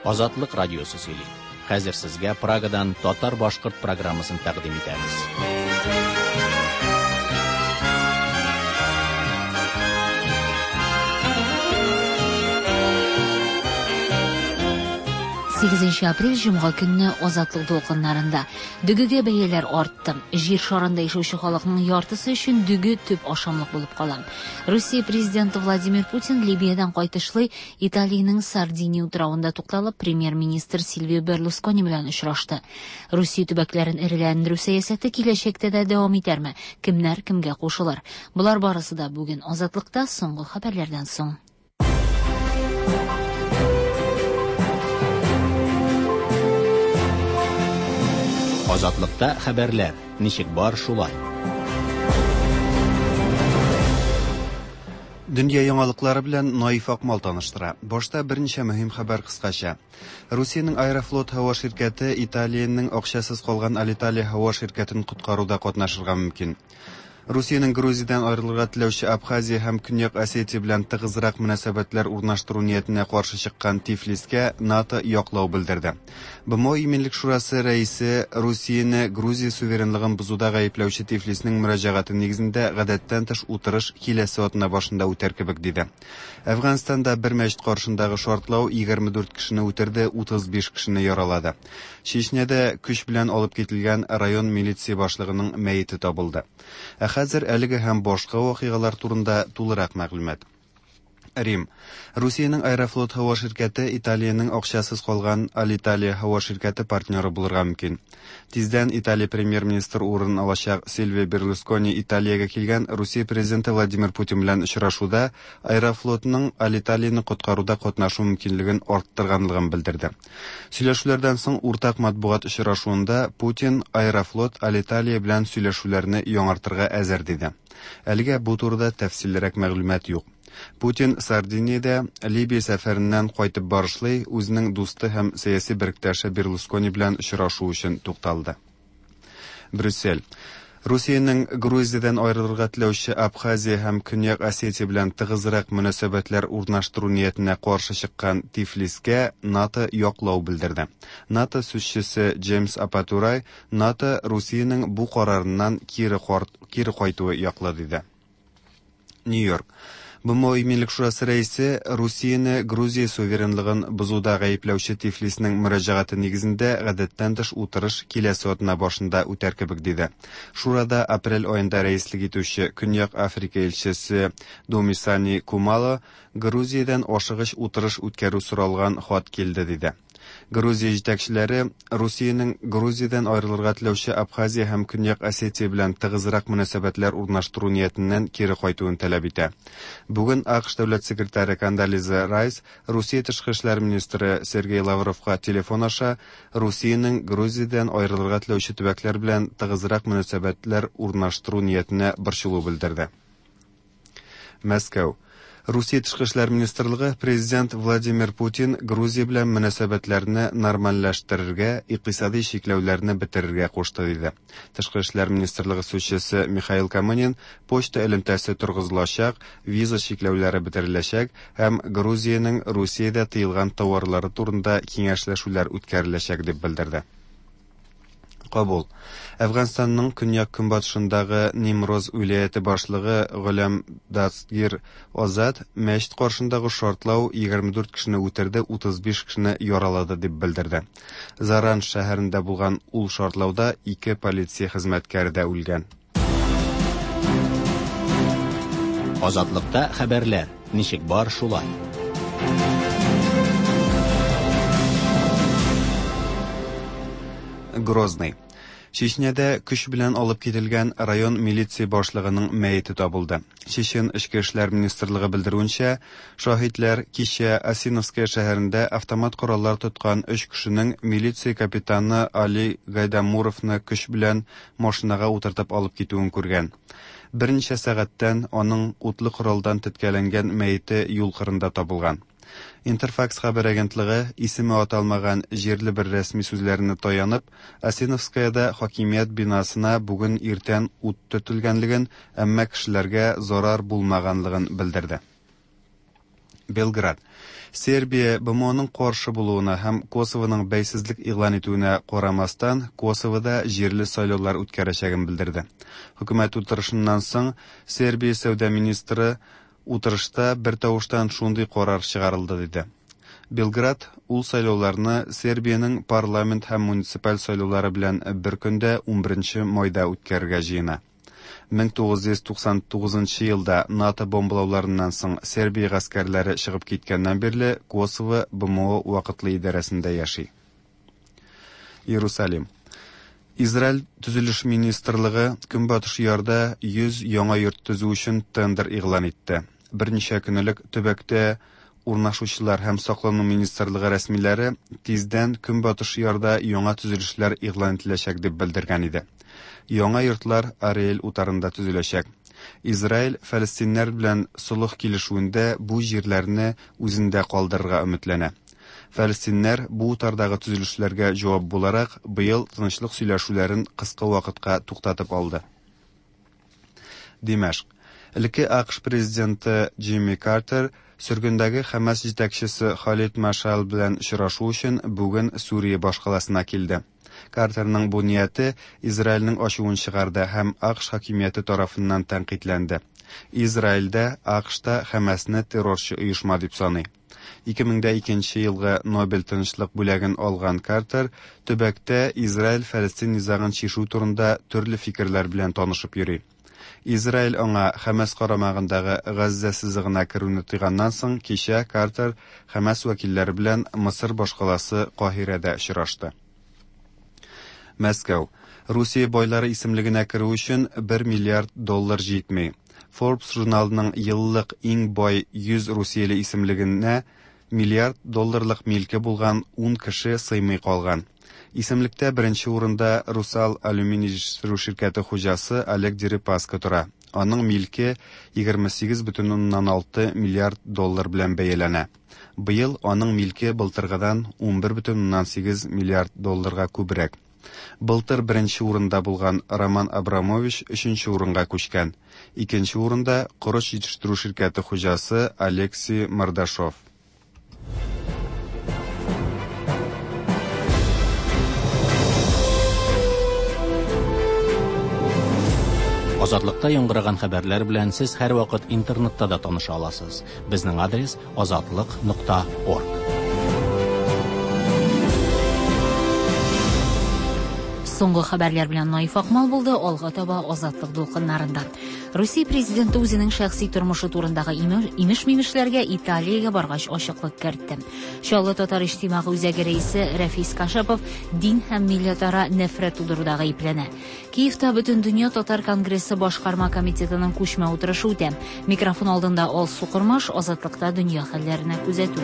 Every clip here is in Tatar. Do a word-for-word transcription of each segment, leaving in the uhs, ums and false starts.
Азатлык радиосы сөйли. Хәзер сезгә Прагадан татар-башкорт программасын тәкъдим итәбез. Сигезенче апрель җомга көнне Азатлык дулкыннарында дөгегә бәяләр артты. Җир шарында яшәүче халыкның яртысы өчен дөге төп ашамлык булып кала. Русия президенты Владимир Путин Либиядән кайтышлый Италиянең Сардиния утравында тукталып, премьер-министр Сильвио Берлускони белән очрашты. Русия төбәкләрен эреләндерү сәясәте киләчәктә дә дәвам итәрме? Кемнәр кемгә кушылыр? Болар барысы да бүген Азатлыкта соңгы хәбәрләрдән соң. Азатлыкта хәбәрләр ничек бар шулай. Дөнья яңалыклары белән Наиф Акмал таныштыра. Башта берничә мөһим хәбәр кыскача. Русиянең Аэрофлот һава ширкәте Италиянең акчасыз калган Алиталия һава ширкәтен коткаруда катнашырга мөмкин. Русиянең Грузиядән аерылырга теләүче Абхазия һәм Көньяк Осетия белән тыгызрак мөнәсәбәтләр урнаштыру ниятенә каршы чыккан Тифлискә НАТО яклау белдерде. БМО Иминлек шурасы рәисе Русияне Грузия суверенлыгын бозуда гаепләүче Тифлиснең мөрәҗәгате нигезендә гадәттән тыш утырыш киләсе атна башында үтәр кебек диде. Әфганстанда бер мәчет каршындагы шартлау егерме дүрт кешене үтерде, утыз биш кешене яралады. Чечняда көч белән алып кителгән район милиция башлыгының мәете табылды. Ә хәзер әлеге һәм башка вакыйгалар турында тулырак мәгълүмат. Рим. Русиянең Аэрофлот һава ширкәте Италиянең акчасыз калган Алиталия һава ширкәте партнеры булырга мөмкин. Тиздән Италия премьер-министр урынын алачак Сильвио Берлускони Италиягә килгән Русия президенты Владимир Путин белән очрашуда Аэрофлотның Алиталияне коткаруда катнашу мөмкинлеген арттырганлыгын белдерде. Сөйләшүләрдән соң уртак матбугат очрашуында Путин Аэрофлот Алиталия белән сөйләшүләрне яңартырга әзер диде. Әлегә бу турыда тәфсиллерәк мәгълүмат юк. Путин Сардиниядә Либия сәфәреннән кайтып барышлый үзенең дусты һәм сәяси беректәше Берлускони белән очрашу өчен тукталды. Брюссель. Русиянең Грузиядән аерылырга теләүче Абхазия һәм Көньяк Осетия белән тыгызрак мөнәсәбәтләр урнаштыру ниятенә каршы чыккан Тифлискә НАТО яклау белдерде. НАТО сүзчесе Джеймс Апатурай НАТО Русиянең бу карарыннан кире кар-, кире кайтуы яклы диде. Нью-Йорк. БМО Иминлек шурасы рәисе Русияне Грузия суверенлыгын бозуда гаепләүче Тифлиснең мөрәҗәгате нигезендә гадәттән тыш утырыш киләсе атна башында үтәр кебек диде. Шурада апрель аенда рәислек итүче Көньяк Африка илчесе Думисани Кумало Грузиядән ашыгыч утырыш үткәрү соралган хат килде диде. Грузия җитәкчеләре Русиянең Грузиядән аерылырга теләүче Абхазия һәм Көньяк Осетия белән тыгызрак мөнәсәбәтләр урнаштыру ниятеннән кире кайтуын таләп итә. Бүген АКШ дәүләт секретаре Кондолиза Райс Русия тышкы эшләр министры Сергей Лавровка телефон аша Русиянең Грузиядән аерылырга теләүче төбәкләр белән тыгызрак мөнәсәбәтләр урнаштыру ниятенә борчылу белдерде. Мәскәү. Русия тышкы эшләр министрлыгы президент Владимир Путин Грузия белән мөнәсәбәтләрне нормальләштерергә, икътисади чикләүләрне бетерергә кушты диде. Тышкы эшләр министрлыгы сүзчесе Михаил Камынин почта элемтәсе торгызылачак, виза чикләүләре бетереләчәк һәм Грузиянең Русиядә тыелган товарлары турында киңәшләшүләр үткәреләчәк дип белдерде. Кабул. Әфганстанның көньяк-көнбатышындагы Нимроз вилаяте башлыгы Голям Дастгир Азад мәчет каршындагы шартлау егерме дүрт кешене үтерде, утыз биш кешене яралады дип белдерде. Заран шәһәрендә булган ул шартлауда ике полиция хезмәткәре дә үлгән. Азатлыкта хәбәрләр ничек бар шулай. Грозный. Чечняда көч белән алып кителгән район милиция башлыгының мәете табылды. Чечен эчке эшләр министрлыгы белдерүенчә, шаһитләр кичә Осиновская шәһәрендә автомат кораллар тоткан өч кешенең милиция капитаны Али Гайдамуровны көч белән машинага утыртып алып китүен күргән. Берничә сәгатьтән аның утлы коралдан теткәләнгән мәете юл кырында табылган. Интерфакс хәбәр агентлыгы исеме аталмаган җирле бер рәсми сүзләренә таянып, Осиновскаяда хакимият бинасына бүген иртән ут төртелгәнлеген, әмма кешеләргә зарар булмаганлыгын белдерде. Белград. Сербия БМОның каршы булуына һәм Косовоның бәйсезлек игълан итүенә карамастан, Косовода җирле сайлаулар үткәрәчәген белдерде. Хөкүмәт утырышыннан соң Сербия сәүдә министры утырышта бер тавыштан шундый карар чыгарылды диде. Белград ул сайлауларны Сербиянең парламент һәм муниципаль сайлаулары белән бер көндә унберенче майда үткәрергә җыена. мең тугыз йөз туксан тугызынчы елда НАТО бомбалауларыннан соң Сербия гаскәрләре чыгып киткәннән бирле Косово БМО вакытлы идарәсендә яши. Иерусалим. Израиль төзелеш министрлыгы Көнбатыш ярда йөз яңа йорт төзү өчен тендер игълан итте. Берничә көн элек төбәктә урнашучылар һәм саклану министрлыгы рәсмиләре тиздән Көнбатыш ярда яңа төзелешләр игълан ителәчәк дип белдергән иде. Яңа йортлар Ариэль утарында төзеләчәк. Израиль фәлестиннәр белән солых килешүендә бу җирләрне үзендә калдырырга өметләнә. Фәлестиннәр бу утардагы төзелешләргә җавап буларак быел тынычлык сөйләшүләрен кыска вакытка туктатып алды. Димәшк. Элекке АКШ президенты Джимми Картер сөргендәге Хәмәс җитәкчесе Халид Машал белән очрашу өчен бүген Сүрия башкаласына килде. Картерның бу нияте Израильнең ачуын чыгарды һәм АКШ хакимияте тарафыннан тәнкыйтьләнде. Израильдә АКШта Хәмәсне террорчы оешма дип саный. ике мең дә икенче елгы Нобель тынычлык бүләген алган Картер төбәктә Израиль-Фәлестин низагын чишү турында төрле фикерләр белән танышып йөри. Израиль аңа Хәмәс карамагындагы Газзә сызыгына керүне тыйганнан соң кичә Картер Хәмәс вәкилләре белән Мысыр башкаласы Каһирәдә очрашты. Мәскәү. Русия байлары исемлегенә керү өчен бер миллиард доллар җитми. Forbes журналының еллык иң бай йөз русияле исемлегенә миллиард долларлык милке булган ун кеше сыймый калган. Исемлектә беренче урында Русал алюминий җитештерү ширкәте хуҗасы Олег Дерипаска тора. Аның милке егерме сигез бөтен уннан алты миллиард доллар белән бәяләнә. Быел аның милке былтыргыдан унбер бөтен уннан сигез миллиард долларга күбрәк. Былтыр беренче урында булган Роман Абрамович өченче урынга күчкән. Икенче урында корыч җитештерү ширкәте хуҗасы Алексей Мордашов. Азатлыкта яңгыраган хәбәрләр белән сез һәрвакыт интернетта да таныша аласыз. Безнең адрес азатлык нокта орг. Соңгы хәбәрләр белән Наиф Акмал булды, алга таба Азатлык дулкыннарында. Русия президенты үзенең шәхси тормышы турындагы имеш-мимешләргә Италиягә баргач ачыклык кертте. Чаллы татар иҗтимагый үзәге рәисе Рәфис Кашапов дин һәм милләтара нәфрәт тудыруда гаепләнә. Киевта Бөтендөнья татар конгрессы башкарма комитетының күчмә утырышы үтә. Микрофон алдында Алсу Кормаш, Азатлыкта дөнья хәлләренә күзәтү.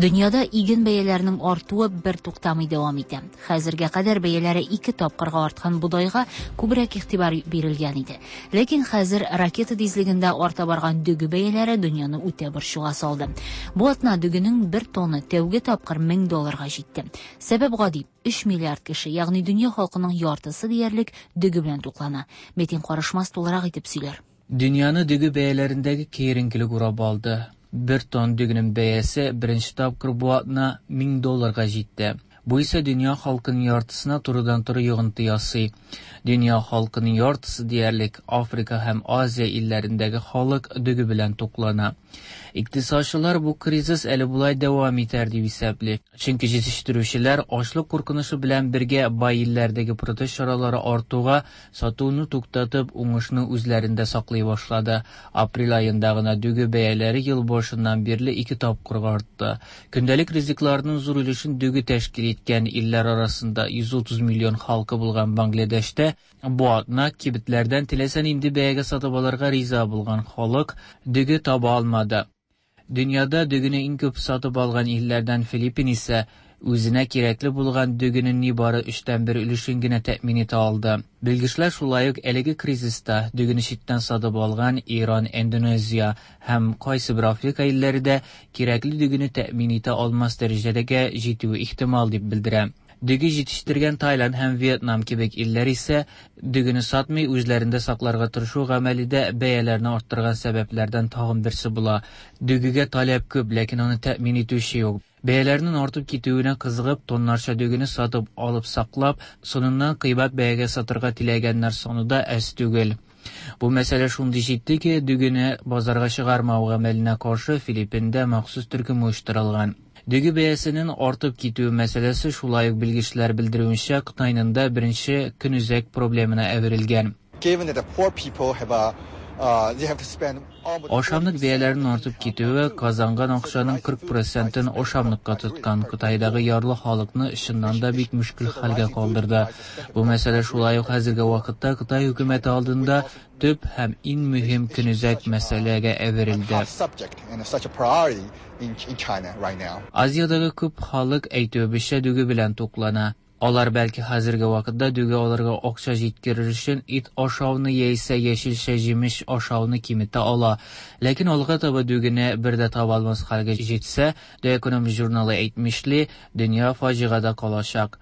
Дөньяда иген бәяләренең артуы бер туктамый дәвам итә. Хәзергә кадәр бәяләре ике тапкырга арткан бодайга күбрәк игътибар бирелгән иде. Ләкин хәзер ракета тизлегендә арта барган дөге бәяләре дөньяны үтә борчуга салды. Бу атна дөгенең бер тонны тәүге тапкыр мең долларга җитте. Сәбәп гади: өч миллиард кеше, ягъни дөнья халкының яртысы диярлек дөге белән туклана. Метин Карышмас тулырак итеп сөйләр. Дөньяны дөге бәяләрендәге киеренкелек урап алды. Бер тон дөгенең бәясе беренче тапкыр бу атна мең долларга җитте. Бу исә дөнья халкының яртысына турыдан-туры йогынты ясый. Дөнья халкының яртысы диярлек Африка һәм Азия илләрендәге халык дөге белән туклана. Икътисадчылар бу кризис әле болай дәвам итәр дип исәпли. Чөнки җитештерүчеләр ачлык куркынычы белән бергә бай илләрдәге протест чаралары артуга сатуны туктатып, уңышны үзләрендә саклый башлады. Апрель аенда гына дөге бәяләре ел башыннан бирле ике тапкырга артты. Көндәлек ризыкларның зур өлешен дөге тәшкил иткән илләр арасында йөз утыз миллион халкы булган Бангладешта бу атна кибетләрдән теләсә нинди бәягә сатып алырга риза булган халык дөге таба алмады. Дөньяда дөгене иң күп сатып алган илләрдән Филиппин исә үзенә кирәкле булган дөгенең нибары өчтән бер өлешен генә тәэмин итә алды. Белгечләр шулай ук әлеге кризиста дөгене читтән сатып алган Иран, Индонезия һәм кайсы бер Африка илләре дә кирәкле дөгене тәэмин итә алмас дәрәҗәгә җитүе ихтимал дип белдерә. Дөге җитештергән Таиланд һәм Вьетнам кебек илләр исә дөгене сатмый, үзләрендә сакларга тырышу гамәле дә бәяләрне арттырган сәбәпләрдән тагын берсе була. Дөгегә таләп күп, ләкин аны тәэмин итүче юк. Бәяләрнең артып китүенә кызыгып, тоннарча дөгене сатып алып саклап, соңыннан кыйбат бәягә сатырга теләгәннәр саны да әз түгел. Бу мәсьәлә шундый җитди ки, дөгене базарга чыгармау гамәленә каршы Филиппинда махсус төркем оештырылган. Дөге бәясенең артып китүе мәсьәләсе шулай ук белгечләр белдерүенчә Кытайның да беренче көнүзәк проблемына әверелгән. Ашамлык бәяләренең артып китүе казанган акчаның кырык процентын ашамлыкка тоткан Кытайдагы ярлы халыкны чыннан да бик мөшкел хәлгә калдырды. Бу мәсьәлә шулай ук хәзерге вакытта Кытай хөкүмәте алдында төп һәм иң мөһим көнүзәк мәсьәләгә әверелде. Азиядәге күп халык әйтүебезчә дөге белән туклана. Алар бәлки хәзерге вакытта дөге алырга акча җиткерер өчен ит ашауны яисә яшелчә җимеш ашауны киметә ала. Ләкин алга таба дөгене бер дә таба алмас хәлгә җитсә, The Economist журналы әйтмешли, дөнья фаҗигадә калачак.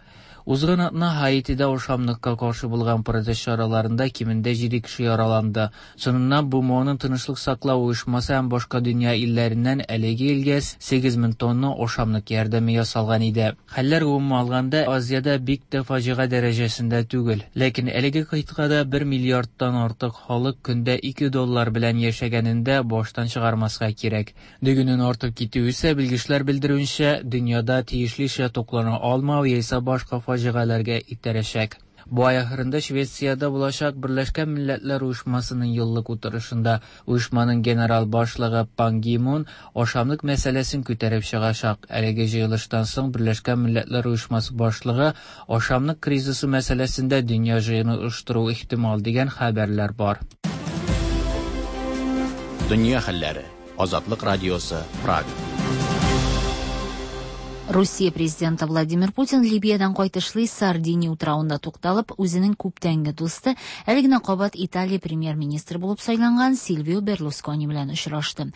Узган атна Һаитида ашамлыкка каршы булган протест чараларында кимендә җиде кеше яраланды. Соңыннан БМОның тынычлык саклау оешмасы һәм башка дөнья илләреннән әлеге илгә сигез мең тонна ашамлык ярдәме ясалган иде. Хәлләр гомумән алганда Азиядә бик тә фаҗига дәрәҗәсендә түгел. Ләкин әлеге кыйтгада бер миллиардтан артык халык көндә ике доллар белән яшәгәнендә баштан чыгармаска кирәк. Дөгенең артып китүе исә белгечләр белдерүенчә, дөньяда тиешлечә туклана алмау яисә башка фаҗигаләргә итәрәчәк. Бу ай ахырында Швециядә булачак Берләшкән Милләтләр Оешмасының еллык утырышында оешманың генерал башлыгы Пан Ги Мун ашамлык мәсьәләсен күтәреп чыгачак. Әлеге җыелыштан соң Берләшкән Милләтләр Оешмасы башлыгы ашамлык кризисы мәсьәләсендә дөнья җыены оештыру ихтимал дигән хәбәрләр бар. Дөнья хәлләре. Азатлык радиосы, Прага. Русия президенты Владимир Путин Либиядән кайтышлый Сардиния утравында тукталып, үзенең күптәнге дусты, әле генә кабат Италия премьер-министры булып сайланган Сильвио Берлускони белән очрашты.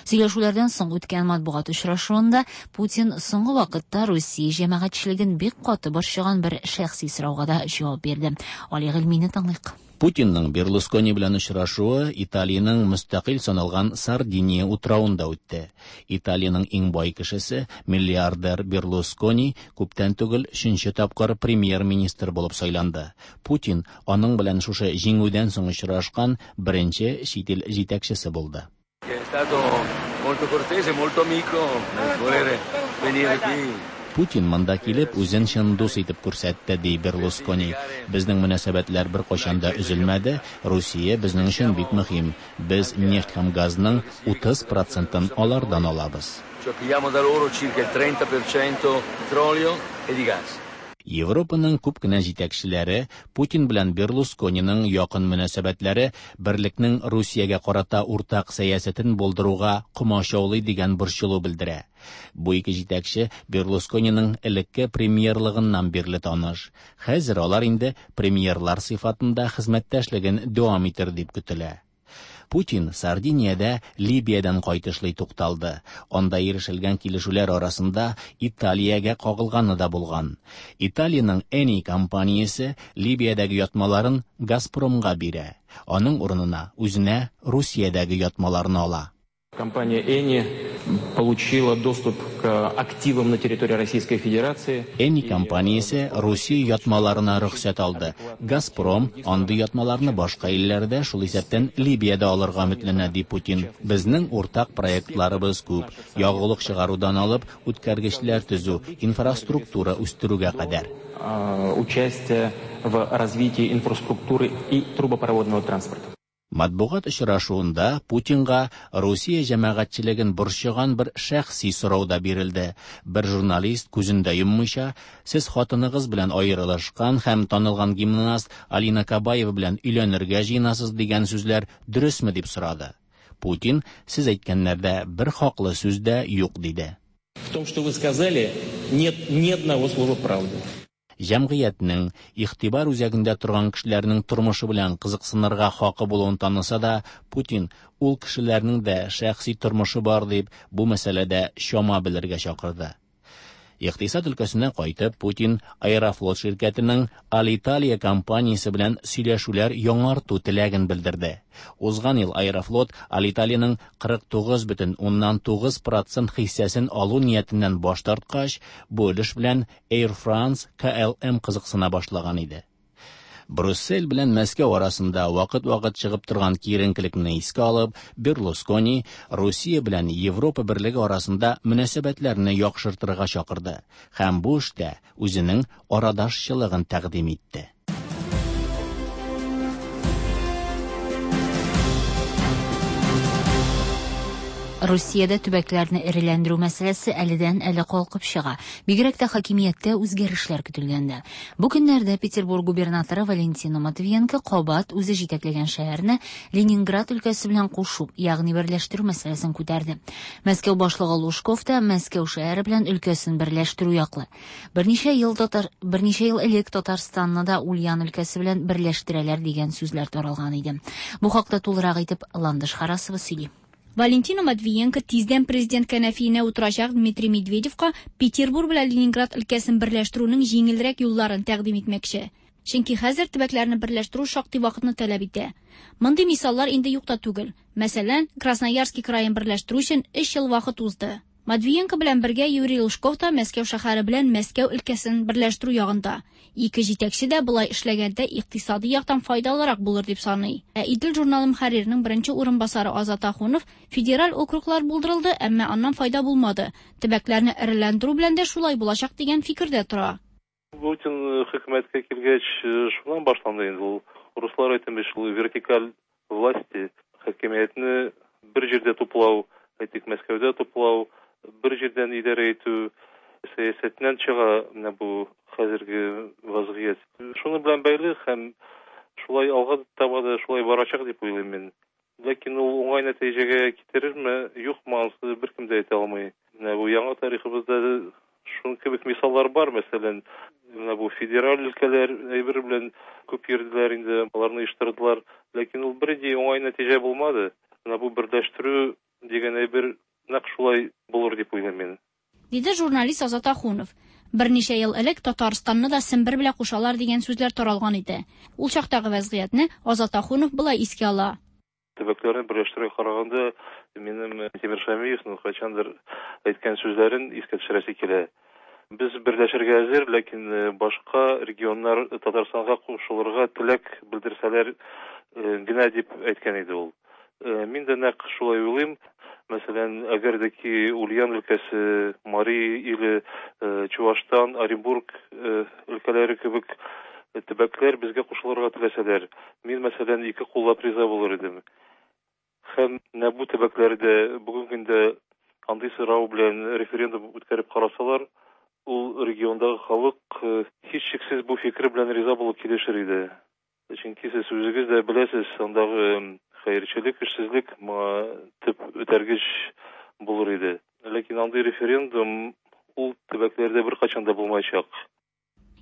Сөйләшүләрдән соң үткән матбугат очрашуында Путин соңгы вакытта Русия җәмәгатьчелеген бик каты борчыган бер шәхси сорауга да җавап бирде. Али Гыйльмине тыңлыйк. Путинның Берлускони белән очрашуы Италиянең мөстәкыйль саналган Сардиния утравында үтте. Италиянең иң бай кешесе, миллиардер Берлускони, күптән түгел өченче тапкыр премьер-министр булып сайланды. Путин аның белән шушы җиңүдән соң очрашкан беренче чит ил җитәкчесе булды. È stato molto cortese, molto amico nel volere venire qui. Путин монда килеп үзен чын дус итеп күрсәтте, ди Берлускони. Безнең мөнәсәбәтләр бер кайчан да өзелмәде. Русия безнең өчен бик мөһим. Без нефть һәм газның утыз процентын алардан алабыз. Cioè pigliamo da loro circa il trenta per cento petrolio e di gas. Европаның күп кенә җитәкчеләре Путин белән Берлускониның якын мөнәсәбәтләре берлекнең Русиягә карата уртак сәясәтен булдыруга комачаулый дигән борчылу белдерә. Бу ике җитәкче Берлускониның элекке премьерлыгыннан бирле таныш. Хәзер алар инде премьерлар сыйфатында хезмәттәшлеген дәвам итер дип көтелә. Путин Сардиниядә Либиядән кайтышлый тукталды. Анда ирешелгән килешүләр арасында Италиягә кагылганы да булган. Италиянең Eni компаниясе Либиядәге ятмаларын Газпромга бирә. Аның урынына үзенә Русиядәге ятмаларны ала. Компания Eni получила доступ к активам на территории Российской Федерации. Eni компаниясе Русия ятмаларына рөхсәт алды. Газпром андый ятмаларны башка илләрдә, шул исәптән Либиядә алырга өметләнә, ди Путин. Безнең уртак проектларыбыз күп. Ягулык чыгарудан алып, үткәргечләр төзү, инфраструктура үстерүгә кадәр. А, участие в развитии инфраструктуры и трубопроводного транспорта. Матбугат очрашуында Путинга Русия җәмәгатьчелеген борчыган бер шәхси сорау да бирелде. Бер журналист күзен дә йоммыйча, сез хатыныгыз белән аерылышкан һәм танылган гимнаст Алина Кабаева белән өйләнергә җыенасыз дигән сүзләр дөресме дип сорады. Путин, сез әйткәннәрдә бер хаклы сүз дә юк диде. В том, что вы сказали, нет ни одного слова правды. Җәмгыятьнең игътибар үзәгендә торган кешеләрнең тормышы белән кызыксынырга хакы булуын таныса да, Путин ул кешеләрнең дә шәхси тормышы бар дип, бу мәсьәләдә чама белергә чакырды. Икътисад өлкәсенә кайтып, Путин Аэрофлот ширкәтенең Алиталия компаниясе белән сөйләшүләр яңарту теләген белдерде. Узган ел Аэрофлот Алиталиянең кырык тугыз бөтен уннан тугыз процент хиссәсен алу ниятеннән баш тарткач, бу өлеш белән Air France К Л М кызыксына башлаган иде. Брюссель белән Мәскәү арасында вакыт-вакыт чыгып торган киеренкелекне искә алып, Берлускони Русия белән Европа берлеге арасында мөнәсәбәтләрне яхшыртырга чакырды һәм бу эштә үзенең арадашчылыгын тәкъдим итте. Русиядә төбәкләрне эреләндерү мәсьәләсе әледән-әле калкып чыга. Бигрәк тә хакимияттә үзгәрешләр көтелгәндә. Бу көннәрдә Петербург губернаторы Валентина Матвиенко кабат үзе җитәкләгән шәһәрне Ленинград өлкәсе белән кушу, ягъни берләштерү мәсьәләсен күтәрде. Мәскәү башлыгы Лужков та Мәскәү шәһәре белән өлкәсен берләштерү яклы. Берничә ел татар, берничә ел элек Татарстанны да Ульян өлкәсе белән берләштерәләр дигән сүзләр таралган иде. Бу хакта тулырак итеп Ландыш Харасова сөйли. Валентина Матвиенко тиздән президент кәнәфиенә утырачак Дмитрий Медведевка Петербург белән Ленинград өлкәсен берләштерүнең җиңелрәк юлларын тәкъдим итмәкче. Чөнки хәзер төбәкләрне берләштерү шактый вакытны таләп итә. Мондый мисаллар инде юк та түгел. Мәсәлән, Красноярский краен берләштерү өчен өч ел вакыт узды. Матвиенко белән бергә Юрий Лужков та Мәскәү шәһәре белән Мәскәү өлкәсен берләштерү ягында. Ике җитәкче дә болай эшләгәндә икътисади яктан файдалырак булыр дип саный. Ә Идел журналы мөхәрриренең беренче урынбасары Азат Ахунов федераль округлар булдырылды, әмма аннан файда булмады. Төбәкләрне эреләндерү белән дә шулай булачак дигән фикердә тора. Путин хөкүмәткә килгәч, шуннан башланды инде ул. Руслар әйтмеш, ул вертикаль власти, хакимиятне бер җирдә туплау, әйтик, Мәскәүдә туплау, бер җирдән идарә итү сәясәтеннән чыга менә бу хәзерге вазгыять. Шуны белән бәйле һәм шулай алга таба да шулай барачак дип уйлыйм мин. Ләкин ул уңай нәтиҗәгә китерерме, юкмы, анысы беркем дә әйтә алмый. Менә бу яңа тарихыбызда шуның кебек мисаллар бар, мәсәлән, менә бу федераль өлкәләр әйбер белән күп йөрделәр инде, аларны оештырдылар, ләкин ул бернинди уңай нәтиҗә булмады. Менә бу берләштерү дигән әйбер нәкъ шулай булыр дип уйлыйм мин. Диде журналист Азат Ахунов. Берничә ел элек Татарстанны да Сембер белән кушалар дигән сүзләр таралган иде. Ул чактагы вазгыятьне Азат Ахунов болай искә ала. Төбәкләрне берләштерүгә караганда минем Тимир Шамиевның кайчандыр әйткән сүзләрен искә төшерәсе килә. Без берләшергә әзер, ләкин башка регионнар Татарстанга кушылырга теләк белдерсәләр генә дип әйткән иде ул. Мин дә нәкъ шулай уйлыйм. Мәсәлән, әгәр дә ки Ульян өлкәсе, Мари иле, Чувашстан, Оренбург өлкәләре кебек төбәкләр безгә кушылырга теләсәләр, мин, мәсәлән, ике куллап риза булыр идем. Һәм менә бу төбәкләрдә бүгенге көндә андый сорау белән референдум үткәреп карасалар, ул региондагы халык һичшиксез бу фикер белән риза булып килешер иде. Чөнки сез үзегез дә беләсез, андагы хәерчелек, эшсезлек моңа төп үтәргеч булыр иде. Ләкин андый референдум ул төбәкләрдә беркайчан да булмаячак.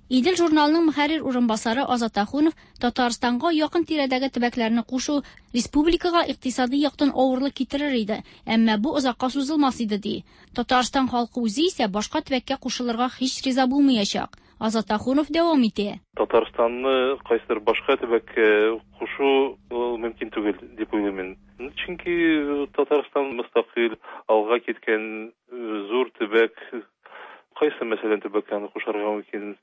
Идел журналының мөхәррир урынбасары Азат Ахунов Татарстанга якын тирәдәге төбәкләрне кушу республикага икътисади яктан авырлык китерер иде, әмма бу озакка сузылмас иде ди. Татарстан халкы үзе исә башка төбәккә кушылырга һич риза булмаячак. Азат Ахунов дәвам итә. Татарстанны кайсыдыр башка төбәккә кушу ул мөмкин түгел дип уйлыйм мин. Чөнки Татарстан мөстәкыйль алга киткән зур төбәк. Кайсы, мәсәлән, төбәккә аны кушарга мөмкин?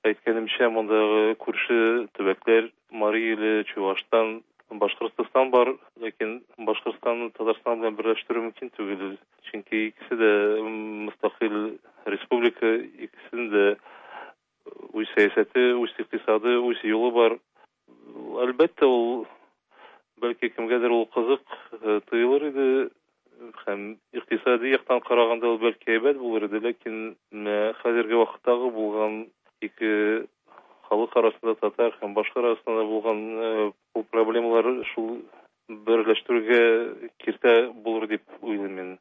Әйткәнемчә, мондагы күрше төбәкләр Мари иле, Чувашстан, Башкортстан бар, ләкин Башкортстанны Татарстан белән берләштерү мөмкин түгел. Чөнки икесе дә мөстәкыйль республика, икесенең дә үз сәясәте, үз икътисады, үз юлы бар. Әлбәттә, ул бәлки кемгәдер ул кызык тоелыр иде, һәм икътисади яктан караганда ул бәлки әйбәт булыр иде, ләкин хәзерге вакыттагы булган ике халык арасында, татар һәм башка арасында булган ул проблемалар шул берләштерүгә киртә булыр дип уйлыйм мин.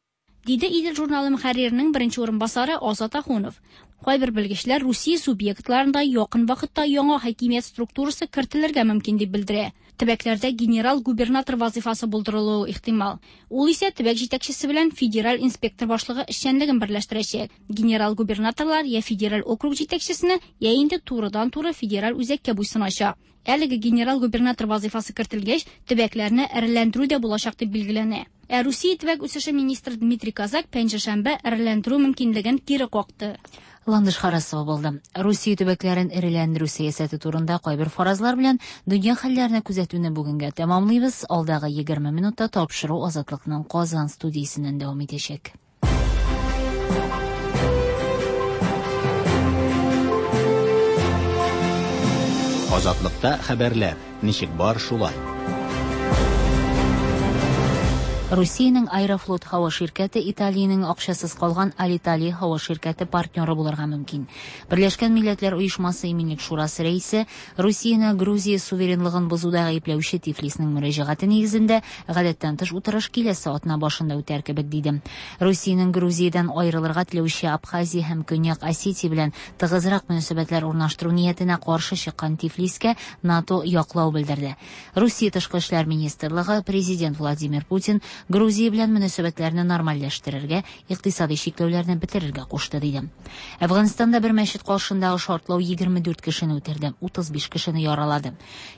Диде Идел журналы мөхәрриренең беренче урынбасары Азат Ахунов. Кайбер белгечләр Русия субъектларында якын вакытта яңа хакимият структурасы кертелергә мөмкин дип белдерә. Төбәкләрдә генерал-губернатор вазифасы булдырылуы ихтимал. Ул исә төбәк җитәкчесе белән федераль инспектор башлыгы эшчәнлеген берләштерәчәк. Генерал-губернаторлар я федераль округ җитәкчесенә, я инде турыдан-туры федераль үзәккә буйсыначак. Әлеге генерал-губернатор вазифасы кертелгәч, төбәкләрне эреләндерү дә булачак дип билгеләнә. Ә Русия төбәк үсеше министры Дмитрий Козак пәнҗешәмбе эреләндерү мөмкинлеген кире какты. Ландыш Харасова булды. Русия төбәкләрен эреләндерү сәясәте турында кайбер фаразлар белән дөнья хәлләренә күзәтүне бүгенгә тәмамлыйбыз. Алдагы егерме минутта тапшыру Азатлыкның Казан студиясеннән дәвам итәчәк. Азатлыкта хәбәрләр ничек бар шулай. Русиянең Аэрофлот һава ширкәте Италиянең акчасыз калган Алиталия һава ширкәте партнеры булырга мөмкин. Берләшкән Милләтләр Оешмасы Иминлек Шурасы рәисе Русияне Грузия суверенлыгын бозуда гаепләүче Тифлисның мөрәҗәгате нигезендә гадәттән тыш утырыш киләсе атна башында үтәр кебек диде. Русиянең Грузиядән аерылырга теләүче Абхазия һәм Көньяк Осетия белән тыгызрак мөнәсәбәтләр урнаштыру ниятенә каршы чыккан Тифлискә НАТО яклау белдерде. Русия тышкы эшләр министрлыгы президент Владимир Путин Грузия белән мөнәсәбәтләрне нормальләштерергә, икътисади чикләүләрне бетерергә кушты диде. Әфганстанда бер мәчет каршындагы шартлау егерме дүрт кешене үтерде, утыз биш кешене яралады.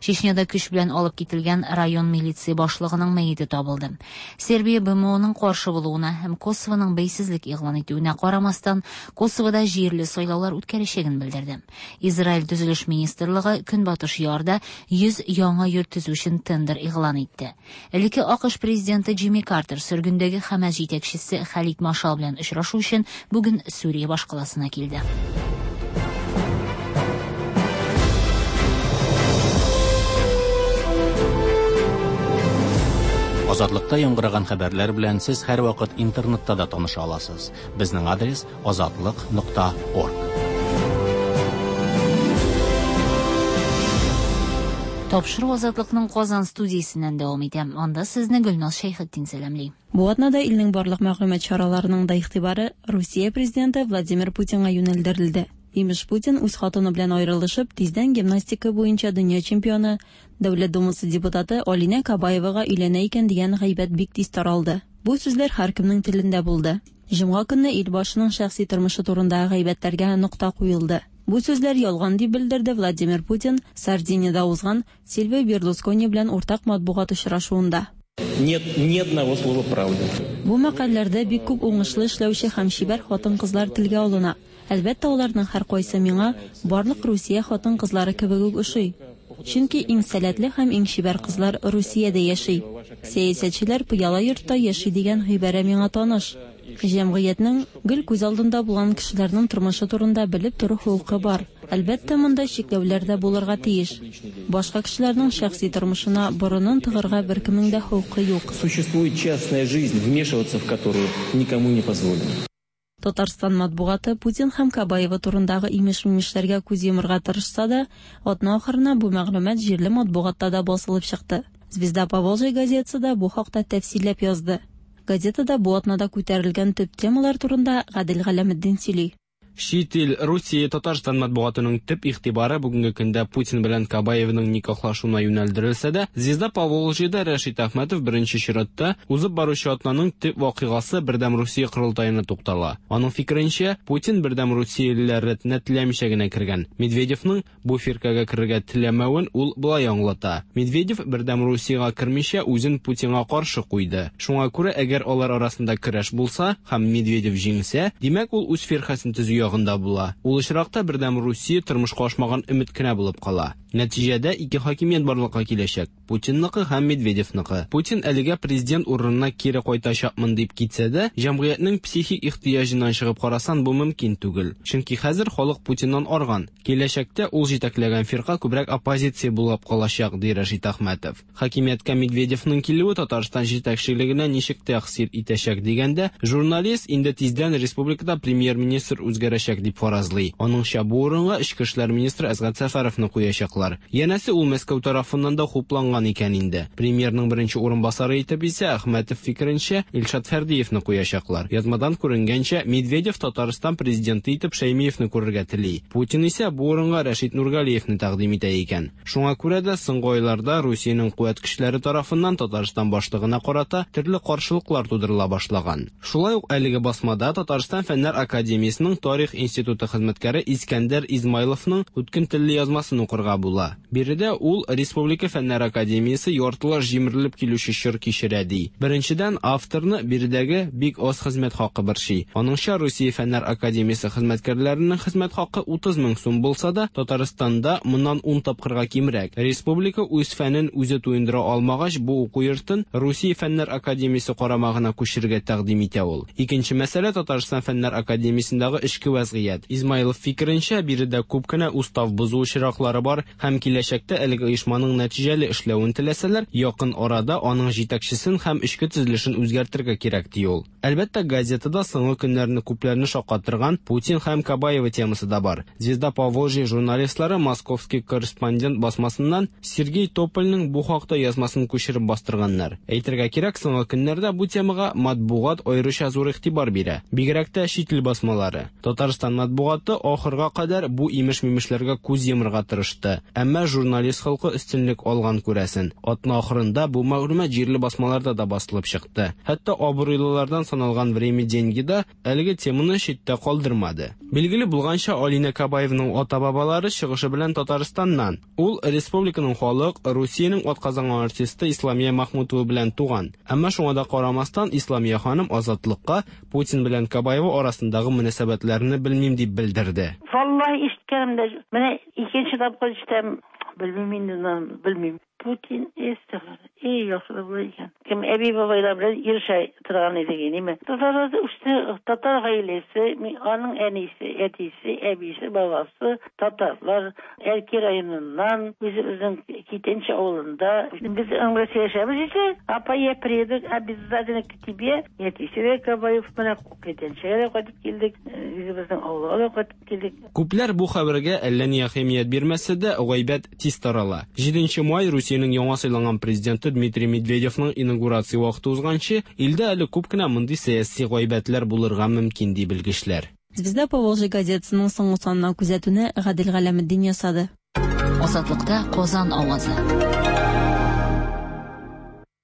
Чечняда көч белән алып кителгән район милиция башлыгының мәете табылды. Сербия Б М Оның каршы булуына һәм Косовоның бәйсезлек игълан итүенә карамастан, Косовода җирле сайлаулар үткәрәчәген белдерде. Израиль төзелеш министрлыгы Көнбатыш ярда йөз яңа йорт төзү өчен тендер игълан итте. Элекке АКШ президенты Джимми Картер сөргендәге Хәмәс җитәкчесе Халид Машал белән очрашу өчен бүген Сүрия башкаласына килде. Азатлыкта яңгыраган хәбәрләр белән сез һәрвакыт интернетта да таныша аласыз. Безнең адрес азатлык нокта орг. Тапшыру Азатлыкның Казан студиясеннән дәвам итә. Анда сезне Гөлназ Шәйхетдин сәламли. Бу атнада илнең барлык мәгълүмат чараларының да игътибары Русия президенты Владимир Путинга юнәлдерелде. Имеш, Путин үз хатыны белән аерылышып, тиздән гимнастика буенча дөнья чемпионы, Дәүләт Думасы депутаты Алинә Кабаевага өйләнә икән дигән гайбәт бик тиз таралды. Бу сүзләр һәркемнең телендә булды. Җомга көнне ил башының шәхси тормышы турындагы гайбәтләргә нокта куелды. Бу сүзләр ялган дип белдерде Владимир Путин Сардиниядә узган Сильвио Берлускони белән уртак матбугат очрашуында. Нет ни одного слова правды. Бу мәкаләләрдә бик күп уңышлы эшләүче һәм чибәр хатын-кызлар телгә алына. Әлбәттә, аларның һәркайсы миңа барлык Русия хатын-кызлары кебек үк ошый. Чөнки иң сәләтле һәм иң чибәр кызлар Русиядә яши. Сәясәтчеләр пыяла йортта яши дигән гыйбарә миңа таныш. Җәмгыятьнең гел күз алдында булган кешеләрнең тормышы турында белеп тору хокукы бар. Әлбәттә, монда чикләүләр дә булырга тиеш. Башка кешеләрнең шәхси тормышына борынын тыгырга беркемнең дә хокукы юк. Существует частная жизнь, вмешиваться в которую никому не позволено. Татарстан матбугаты Путин һәм Кабаева турындагы имеш-мимешләргә күз йомырга тырышса да, атна ахырына бу мәгълүмат җирле матбугатта да басылып чыкты. Звезда Поволжья газетасы да бу хакта тәфсилләп язды. Газетада бу атнада күтәрелгән төп темалар турында Гадел Галәметдин сөйли. Чит ил Русия Татарстан матбугатының төп игътибары бүгенге көндә Путин белән Кабаевның никахлашуына юнәлдерелсә дә, Звезда Поволжьеда Рәшит Әхмәтов беренче чиратта узып баручы атнаның төп вакыйгасы Бердәм Русия корылтаена туктала. Аның фикеренчә, Путин Бердәм Русиялеләр рәтенә теләмичә генә кергән. Медведевның бу фиркәгә керергә теләмәвен ул болай аңлата. Медведев Бердәм Русиягә кермичә үзен Путинга каршы куйды. Шуңа күрә, әгәр алар арасында көрәш булса һәм Медведев җиңсә, димәк ул үз фиркәсен төзү ягында була. Ул очракта Бердәм Русия тормышка ашмаган өмет кенә булып кала. Нәтиҗәдә ике хакимият барлыкка киләчәк: Путинныкы һәм Медведевныкы. Путин әлегә президент урынына кире кайтачакмын дип китсә дә, җәмгыятьнең психик ихтыяҗыннан чыгып карасан бу мөмкин түгел. Чөнки хәзер халык Путиннан арган. Киләчәктә ул җитәкләгән фирка күбрәк оппозиция булып калачак, ди Рәшит Әхмәтов. Хакимияткә Медведевның килүе Татарстан җитәкчелегенә ничек тәэсир итәчәк дигәндә, журналист инде тиздән республикада премьер-министр үзгәрәчәк үзгәрәчәк дип фаразлый. Аныңча, бу урынга эчке эшләр министры Әсгать Сәфәровны куячаклар. Янәсе, ул Мәскәү тарафыннан да хупланган икән инде. Премьерның беренче урынбасары итеп исә, Әхмәтов фикеренчә, Илшат Фәрдиевны куячаклар. Язмадан күренгәнчә, Медведев Татарстан президенты итеп Шәймиевны күрергә тели. Путин исә бу урынга Рәшит Нургалиевны тәкъдим итә икән. Шуңа күрә дә соңгы айларда Русиянең куәт көчләре тарафыннан Татарстан башлыгына карата төрле каршылыклар тудырыла башлаган. Шулай ук әлеге басмада Татарстан Фәннәр академиясенең Тарих институты хезмәткәре Искәндәр Измайловның үткен телле язмасын укырга була. Биредә ул Республика Фәннәр академиясе яртылаш җимерелеп килүче чор кичерә ди. Беренчедән, авторны биредәге бик аз хезмәт хакы борчый. Аныңча, Русия Фәннәр академиясе хезмәткәрләренең хезмәт хакы утыз мең сум булса да, Татарстанда моннан ун тапкырга кимрәк. Республика үз фәнен үзе туендыра алмагач, бу уку йортын Русия Фәннәр академиясе карамагына күчерергә тәкъдим итә ул. Икенче мәсьәлә Татарстан Фәннәр академиясендәге эчке вәзгыять. Измайлов фикеренчә, биредә күп кенә устав бозу очраклары бар һәм киләчәктә әлеге оешманың нәтиҗәле эшләвен теләсәләр, якын арада аның җитәкчесен һәм эчке төзелешен үзгәртергә кирәк ди ул. Әлбәттә, газетада соңгы көннәрне күпләрне шаккатырган Путин һәм Кабаева темасы да бар. Звезда Поволжья журналистлары Московский корреспондент басмасыннан Сергей Топольның бу хакта язмасын күчереп бастырганнар. Әйтергә кирәк, соңгы көннәрдә бу темага матбугат аеруча зур игътибар бирә. Бигрәк тә чит ил басмалары. Татарстан матбугаты ахырга кадәр бу имеш-мимешләргә күз йомырга тырышты. Әмма журналист халкы өстенлек алган күрәсен. Атна ахырында бу мәгълүмат җирле басмаларда да басылып чыкты. Хәтта абруйлылардан саналган Время деньги да әлеге теманы читтә калдырмады. Билгеле булганча, Алина Кабаевның ата-бабалары чыгышы белән Татарстаннан. Ул республиканың халык, Русиянең атказанган артисты Исламия Махмутова белән туган. Әмма шуңа да карамастан Исламия ханым Азатлыкка Путин белән Кабаева арасындагы мөнәсәбәтләрне белмим дип белдерде. Валлаһи ишеткәнем дә, менә икенче тапкыр ишетәм, белмим инде, белмим. Путин эстәгәр. Эй, яхшы була икән. Кем әби бабайлар белән ирешә торган идек, ниме? Татарлар үсте, татар гаиләсе, аның әнисе, әтисе, әбисе, бабасы татарлар. Әлки районыннан, үзебезнең Китенче авылында. Без аңлы сөйләшәбез исә, апа, я приеду обязательно к тебе. Әтисе дә Кабаев менә Китенчегә дә кайтып килдек, үзебезнең авылга да кайтып килдек. Күпләр бу хәбәргә әллә ни әһәмият бирмәсә дә, гайбәт тиз тарала. Җиденче май Русиянең яңа сайланган президенты Дмитрий Медведевның инаугурация вакыты узганчы, илдә әле күп кенә мондый сәяси гайбәтләр булырга мөмкин ди белгечләр. Звезда Поволжья газетасының соңгы санына күзәтүне Гадел Галәметдин ясады. Азатлыкта Казан авазы.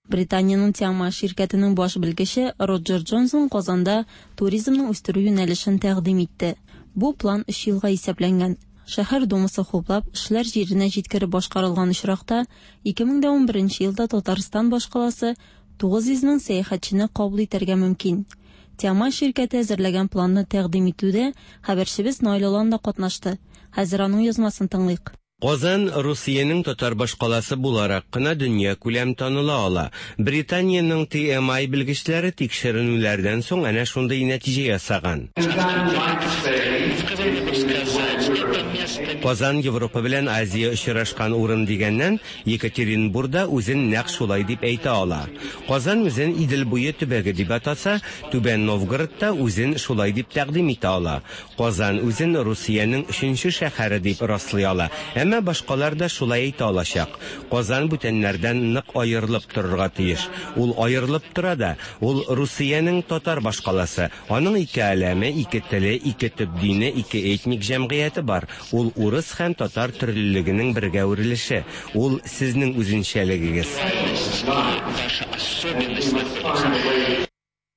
Британиянең Тиама ширкәтенең баш белгече Роджер Джонсон Казанда туризмны үстерү юнәлешен тәкъдим итте. Бу план өч елга исәпләнгән. Шәһәр думасы хуплап, эшләр җиренә җиткереп башкарылган очракта ике мең дә унберенче елда Татарстан башкаласы тугыз йөз мең сәяхәтчене кабул итәргә мөмкин. Тиама ширкәте әзерләгән планны тәкъдим итүдә хәбәрчебез Наил Олан да катнашты. Хәзер аның язмасын тыңлыйк. Казан Русиянең татар башкаласы буларак кына дөнья күләм таныла ала. Британиянең Т М I белгечләре тикшеренүләрдән соң әнә шундый нәтиҗә ясаган. Казан Европа белән Азия очрашкан урын дигәннән, Екатеринбургда үзен нәкъ шулай дип әйтә ала. Казан үзен Идел буе төбәге дип атаса, Түбән Новгородта үзен шулай дип тәкъдим итә ала. Казан үзен Русиянең өченче шәһәре дип раслый ала. Әмма башкалар да шулай әйтә алачак. Казан бүтәннәрдән нык аерылып торырга тиеш. Ул аерылып тора да, ул Русиянең татар башкаласы. Аның ике әләме, ике теле, ике төп дине, ике этник җәмгыяте бар. Ул урыс һәм татар төрлелегенең бергә үрелеше. Ул сезнең үзенчәлегегез.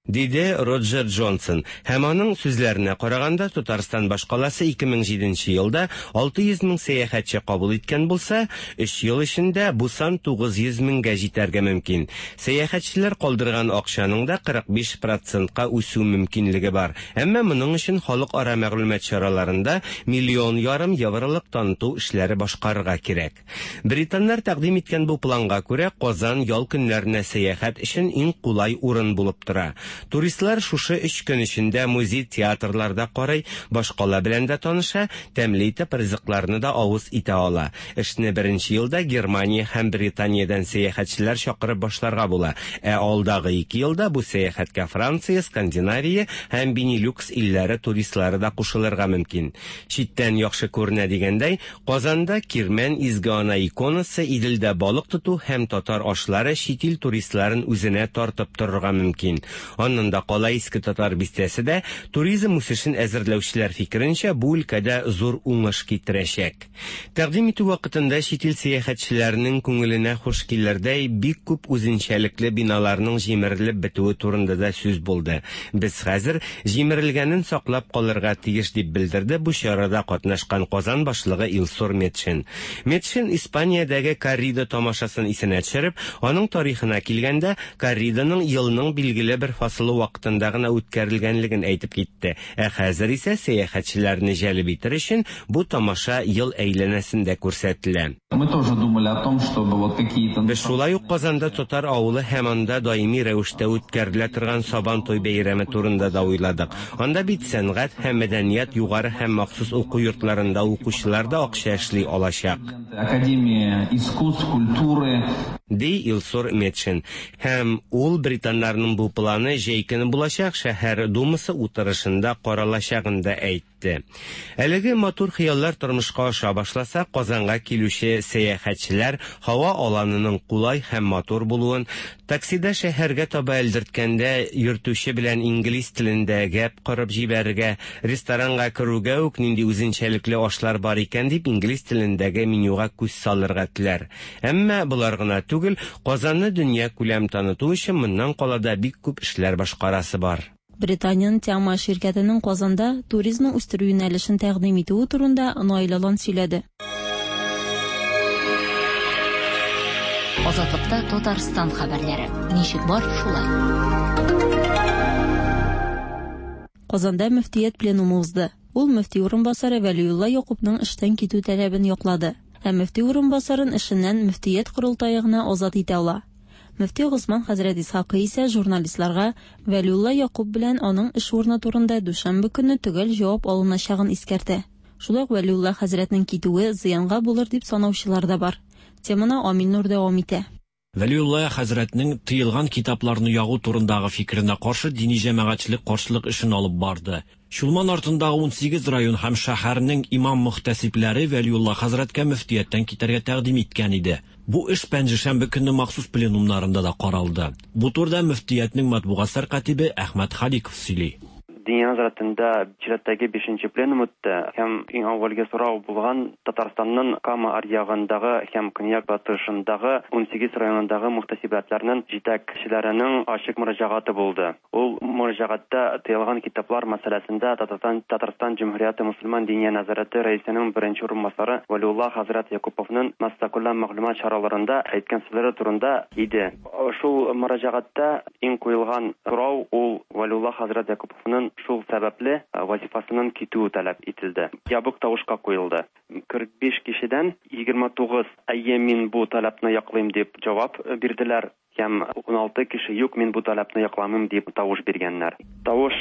Диде Роджер Джонсон. Һәм аның сүзләренә караганда, Татарстан башкаласы ике мең җиденче елда алты йөз мең сәяхәтче кабул иткән булса, өч ел эчендә бу сан тугыз йөз меңгә җитәргә мөмкин. Сәяхәтчеләр калдырган акчаның да кырык биш процентка үсү мөмкинлеге бар. Әмма моның өчен халыкара мәгълүмат чараларында миллион ярым евролык таныту эшләре башкарырга кирәк. Британнар тәкъдим иткән бу планга күрә, Казан ял көннәренә сәяхәт өчен иң кулай урын булып тора. Туристлар шушы өч көн эчендә музей, театрларда карый, башкала белән дә таныша, тәмле итеп ризыкларны да авыз итә ала. Эшне беренче елда Германия һәм Британиядән сәяхәтчеләр чакырып башларга була. Ә алдагы ике елда бу сәяхәткә Франция, Скандинавия һәм Бенилюкс илләре туристлары да кушылырга мөмкин. Читтән яхшы күренә дигәндәй, Казанда Кирмән Изге Ана иконасы, Иделдә балык тоту һәм татар ашлары чит ил туристларын үзенә тартып торырга мөмкин. Аннан да кала Иске Татар бистәсе дә туризм үсешен әзерләүчеләр фикеренчә бу өлкәдә зур уңыш китерәчәк. Тәкъдим итү вакытында чит ил сәяхәтчеләренең күңеленә хуш килердәй бик күп үзенчәлекле биналарның җимерелеп бетүе турында да сүз булды. Без хәзер җимерелгәнен саклап калырга тиеш дип белдерде бу чарада катнашкан Казан башлыгы Илсур Метшин. Метшин Испаниядәге коррида тамашасын исенә төшереп, аның тарихына килгәндә, корриданың елның билгеле бер фасылы вакытында гына үткәрелгәнлеген әйтеп китте. Ә хәзер исә сәяхәтчеләрне җәлеп итер өчен бу тамаша ел әйләнәсендә күрсәтелә. Мы тоже думали о том, чтобы вот какие-то... Без шулай ук Казанда татар авылы һәм анда даими рәвештә үткәрелә торган Сабантуй бәйрәме турында да уйладык. Анда бит сәнгать һәм мәдәният югары һәм махсус уку йортларында укучылар да акча эшли алачак. Академия искусств, культуры, ди Илсур Метшин. Һәм ул британнарның бу планы җәй көне булачак шәһәр думасы утырышында каралачагын да әйтте. Әлеге матур хыяллар тормышка аша башласа, Казанга килүче сәяхәтчеләр һава аланының кулай һәм матур булуын, таксида шәһәргә таба элдерткәндә йөртүче белән инглиз телендә гәп корып җибәрергә, ресторанга керүгә үк нинди үзенчәлекле ашлар бар икән дип инглиз телендәге менюга күз салырга теләр. Әмма болар гына түгел, Казанны дөнья күләм таныту өчен моннан кала да бик күп эшләр башкарасы бар. Британиянең Тиама ширкәтенең Казанда туризмны үстерү юнәлешен тәкъдим итүе турында Наил Алан сөйләде. Азатлыкта Татарстан хәбәрләре. Ничек бар, шулай. Казанда мөфтият пленумы узды. Ул мөфти урынбасары Вәлиулла Якупның эштән китү таләбен яклады. Ә мөфти урынбасарын эшеннән мөфтият корылтае гына азат итә ала. Мөфти Госман хәзрәт Исхакый исә журналистларга Вәлиулла Якуп белән аның эш урыны турында дүшәмбе көнне төгәл җавап алыначагын искәртә. Шулай ук Вәлиулла хәзрәтнең китүе зыянга булыр дип санаучылар да бар. Теманы Амил Нур дәвам итә. Вәлиулла хәзрәтнең тыелган китапларны ягу турындагы фикеренә каршы дини җәмәгатьчелек каршылык эшен алып барды. Чулман артындагы ун сигез район һәм шәһәрнең имам мөхтәсибләре Вәлиулла хәзрәткә мөфтияттән китәргә тәкъдим иткән иде. Бу эш пәнҗешәмбе көнне махсус пленумнарында да каралды. Бу турыда мөфтиятнең матбугат сәркатибе Әхмәт Халиков сөйли. Диния нәзарәтендә чираттагы бишенче пленум үтте һәм иң әүвәлге сорау булган Татарстанның Кама аръягындагы һәм көньяк батышындагы ун сигез районындагы мөхтәсибәтләрнең җитәкчеләренең ачык мөрәҗәгате булды. Ул мөрәҗәгатьтә тыелган китаплар мәсьәләсендә Татарстан Татарстан Җөмһүрияте мөселман диния нәзарәте рәисенең беренче урынбасары Вәлиулла хәзрәт Якуповның массакүләм мәгълүмат чараларында әйткән сүзләре турында иде. Шул мөрәҗәгатьтә иң куелган сорау ул Вәлиулла хәзрәт Якуповның шул сәбәпле вазифасыннан китүе таләп ителде. Ябык тавышка куелды. Кырык биш кешедән егерме тугыз әйе, мин бу таләпне яклыйм дип җавап бирделәр. Һәм ун алты кеше юк, мин бу таләпне якламыйм дип тавыш биргәннәр. Тавыш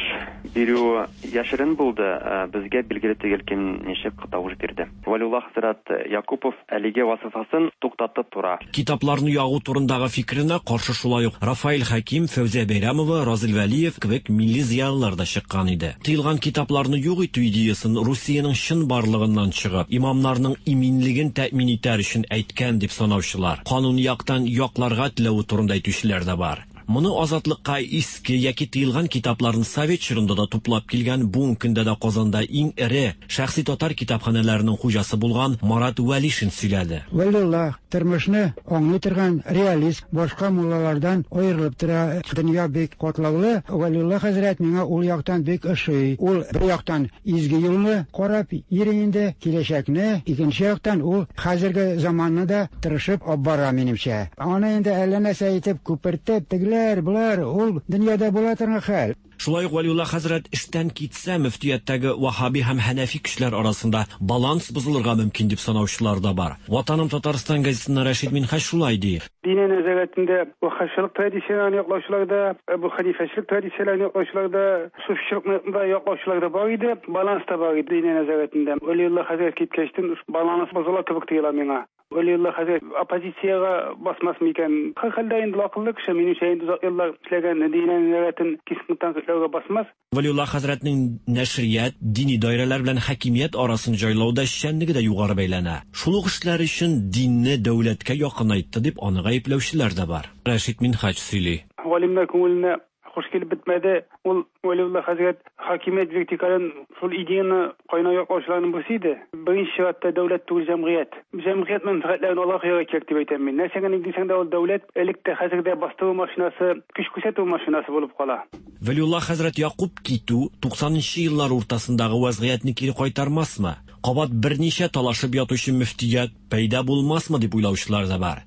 бирү яшерен булды, безгә билгеле түгел кем ничек тавыш бирде. Вәлиулла хәзрәт Якупов әлеге вазифасын туктатып тора. Китапларны ягу турындагы фикеренә каршы шулай ук Рафаэль Хәким, Фәүзия Бәйрәмова, Разил Вәлиев кебек милли зыялылар да чыккан иде. Тыелган китапларны юк итү идеясын Русиянең чын барлыгыннан чыгып, имамнарның иминлеген тәэмин итәр өчен әйткән дип санаучылар, канун яктан якларга теләве турында әйтүчеләр дә бар. Моны азатлыкка иске яки тыелган китапларны совет чорында да туплап килгән, бүгенге көндә дә Казанда иң эре шәхси татар китапханәләренең хуҗасы булган Марат Вәлишин сөйләде. Вәлиулла тормышны аңлый торган реалист, башка муллалардан аерылып тора. Дөнья бик катлаулы. Вәлиулла хәзрәт миңа ул яктан бик ошый. Ул бер яктан изге юлны карап йөри инде, киләчәкне, икенче яктан ул хәзерге заманны да тырышып алып бара минемчә. Аны инде әллә нәрсә итеп күпертеп, тегеләр, болар, ул дөньяда була торган хәл. Шулай ук Вәлиулла хәзрәт эштән китсә, мөфтияттәге ваһһаби һәм хәнәфи көчләр арасында баланс бозылырга мөмкин дип санаучылар да бар. Ватаным Татарстан газетасында Рәшид Минһаҗ шулай ди. Диния нәзарәтендә ваһһабчылык традицияләрен яклаучылар да, Әбу Хәнифәчелек традицияләрен яклаучылар да, суфичылыкны да яклаучылар да бар иде, баланс та бар иде диния нәзарәтендә. Вәлиулла хәзрәт киткәчтен баланс бозыла кебек тоела миңа. Вәлиулла хәзрәт оппозициягә басмас микән? Һәр хәлдә инде акыллы кеше, минемчә инде озак еллар эшләгән диния нәзарәтен кискен тәнкыйтьләүгә басмас. Вәлиулла хәзрәтнең нәшрият, дини даирәләр белән хакимият арасын җайлауда эшчәнлеге дә югары бәйләнә. Шул ук эшләр өчен динне дәүләткә якынайтты дип аны гаепләүчеләр дә бар. Рәшид Минһаҗ сөйли. Галимнәр күңеленә хуш килеп бетмәде. Ул Вәлиулла хәзрәт хакимият вертикален шул идеяны кайнау яклаучыларның берсе иде. Беренче чиратта дәүләт түгел, җәмгыять. Җәмгыять мәнфәгатьләрен алга куярга кирәк дип әйтәм мин. Нәрсә генә дисәң дә ул дәүләт элек тә хәзер дә бастыру машинасы, көч күрсәтү машинасы булып кала. Вәлиулла хәзрәт Якуб китү туксанынчы еллар уртасындагы вазгыятьне кире кайтармасмы? Кабат берничә талашып ятучы мөфтият пәйда булмасмы дип уйлаучылар да бар.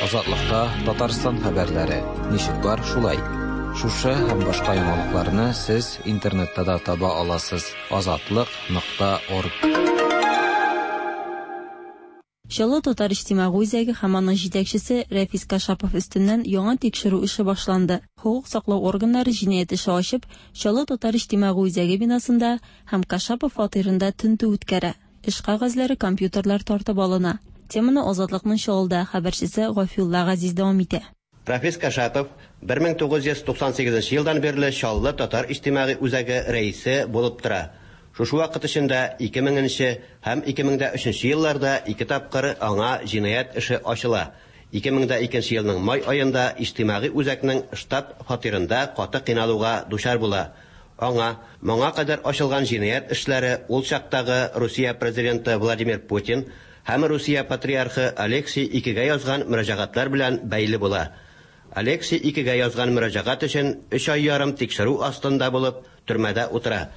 Азатлыкта Татарстан хәбәрләре. Ничек бар шулай. Шушы һәм башка яңалыкларны сез интернетта да таба аласыз. Азатлык нокта орг. Чаллы татар иҗтимагый үзәге һәм аның җитәкчесе Рәфис Кашапов өстеннән яңа тикшерү эше башланды. Хокук саклау органнары җинаять эше ачып, Чаллы татар иҗтимагый үзәге бинасында һәм Кашапов фатирында тентү үткәрә. Эш кәгазьләре, компьютерлар тартып алына. Теманы Азатлыкның Чаллыда хәбәрчесе Гафиулла Газиз дәвам итә. Рафис Кашапов бер мең тугыз йөз туксан сигезенче елдан бирле Чаллы татар иҗтимагый үзәге рәисе булып тора. Шушы вакыт эчендә ике меңенче һәм ике мең дә өченче елларда ике тапкыр аңа җинаять эше ачыла. Ике мең дә икенче елның май аенда иҗтимагый үзәкнең штаб фатирында каты кыйналуга дучар була. Аңа моңа кадәр ачылган җинаять эшләре ул чактагы Русия президенты Владимир Путин һәм Русия патриархы Алексий икегә язган мөрәҗәгатьләр белән бәйле була. Алексий икегә язган мөрәҗәгать өчен өч ай ярым тикшерү астында булып төрмәдә утыра.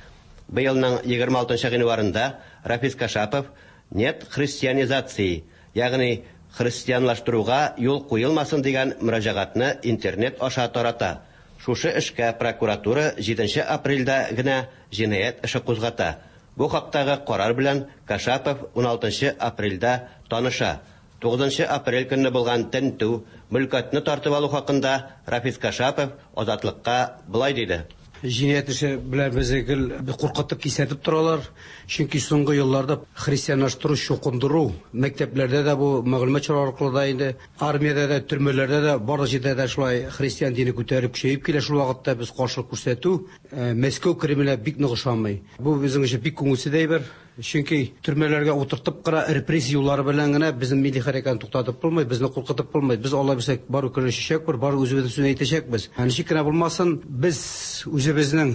Быелның егерме алтынчы гыйнварында Рафис Кашапов «Нет христианизации», ягъни христианлаштыруга юл куелмасын дигән мөрәҗәгатьне интернет аша тарата. Шушы эшкә прокуратура җиденче апрельдә генә җинаять эше кузгата. Бу хактагы карар белән Кашапов уналтынчы апрельдә таныша. Тугызынчы апрель көнне булган тентү, мөлкәтне тартып алу хакында Рафис Кашапов Азатлыкка былай диде. Җинаять эше белән безне гел куркытып кисәтеп торалар. Чөнки соңгы елларда христианлаштыру, чукындыру мәктәпләрдә дә бу мәгълүмат чаралары аркылы да инде армиядә дә, төрмәләрдә дә, барлык җирдә дә шулай христиан дине күтәреп көчәеп килә. Шул вакытта без каршылык күрсәтү Мәскәү Кремле бик нык ошамый. Бу безнең өчен бик күңелсез әйбер. Чөнки төрмәләргә утыртып кына репрессия юллары белән генә безнең милли хәрәкәтне туктатып булмый, безне куркытып булмый. Без Алла бирсә бар көрәшәчәкбез, бар үзебезнең сүзне әйтәчәкбез. Ничек кенә булмасын, без үзебезнең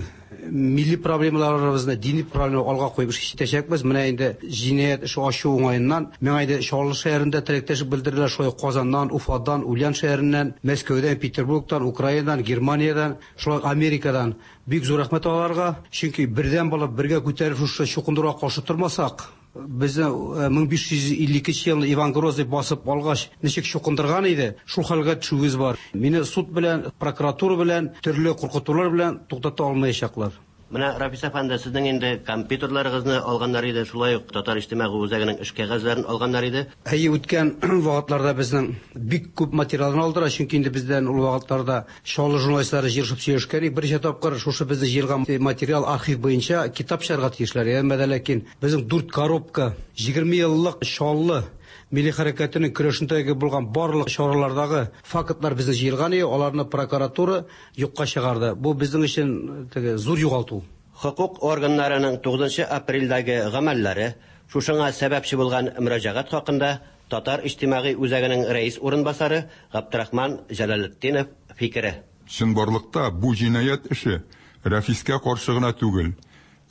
милли проблемаларыбызны, дини проблемаларны алга куеп эш итәчәкбез. Менә инде җинаять эше ачу уңаеннан миңа инде Чаллы шәһәрендә теләктәшлек белдерделәр, шулай Казаннан, Уфадан, Ульян шәһәреннән, Мәскәүдән, Петербургтан, Украинадан, Германиядән, шулай Америкадан. Бик зур рәхмәт аларга, чөнки бердәм булып бергә күтәреп шушы чукындыруга каршы тормасак, безне мең биш йөз илле икенче елны Иван Грозный басып алгач ничек чукындырган иде, шул хәлгә төшүебез бар. Мине суд белән, прокуратура белән, төрле куркытулар белән туктата алмаячаклар. Менә Рафис әфәнде, сезнең инде компьютерларыгызны алганнар иде, шулай ук татар иҗтимагый үзәгенең эш кәгазьләрен алганнар иде. Әйе, үткән вакытларда безнең бик күп материалны алдылар, чөнки инде бездән ул вакытларда Чаллы журналистлары җыелышып сөйләшкән идек. Берничә тапкыр шушы безне җыелган материал архив буенча китап чыгарга тиешләр. Әмма дә ләкин безнең дүрт коробка егерме еллык Чаллы милли хәрәкәтенең көрәшендәге булган барлык чаралардагы фактлар безне җыелган иде, аларны прокуратура юкка чыгарды. Бу безнең өчен теге зур югалту. Хокук органнарының тугызынчы апрельдәге гамәлләре шушыңа сәбәпче булган мөрәҗәгать хакында Татар иҗтимагый үзәгенең рәис урынбасары Габдрахман Җәләлетдинов фикере. Чынбарлыкта бу җинаять эше Рәфискә каршы гына түгел,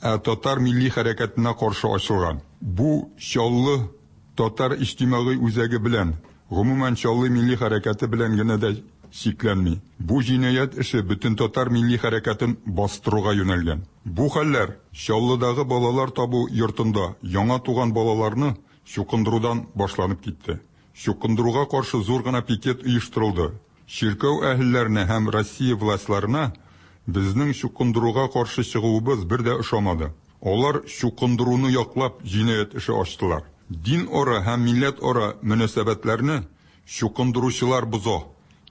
ә татар милли хәрәкәтенә каршы ачылган. Бу Чаллы татар иҗтимагый үзәге белән, гомумән Чаллы милли хәрәкәте белән генә дә чикләнми. Бу җинаять эше бөтен татар милли хәрәкәтен бастыруга юнәлгән. Бу хәлләр Чаллыдагы балалар табу йортында яңа туган балаларны чукындырудан башланып китте. Чукындыруга каршы зур гына пикет оештырылды. Чиркәү әһелләренә һәм Россия властьларына безнең чукындыруга каршы чыгуыбыз бер дә ошамады. Алар чукындыруны яклап җинаять эше ачтылар. Дин ара һәм милләт ара мөнәсәбәтләрне чукындыручылар боза,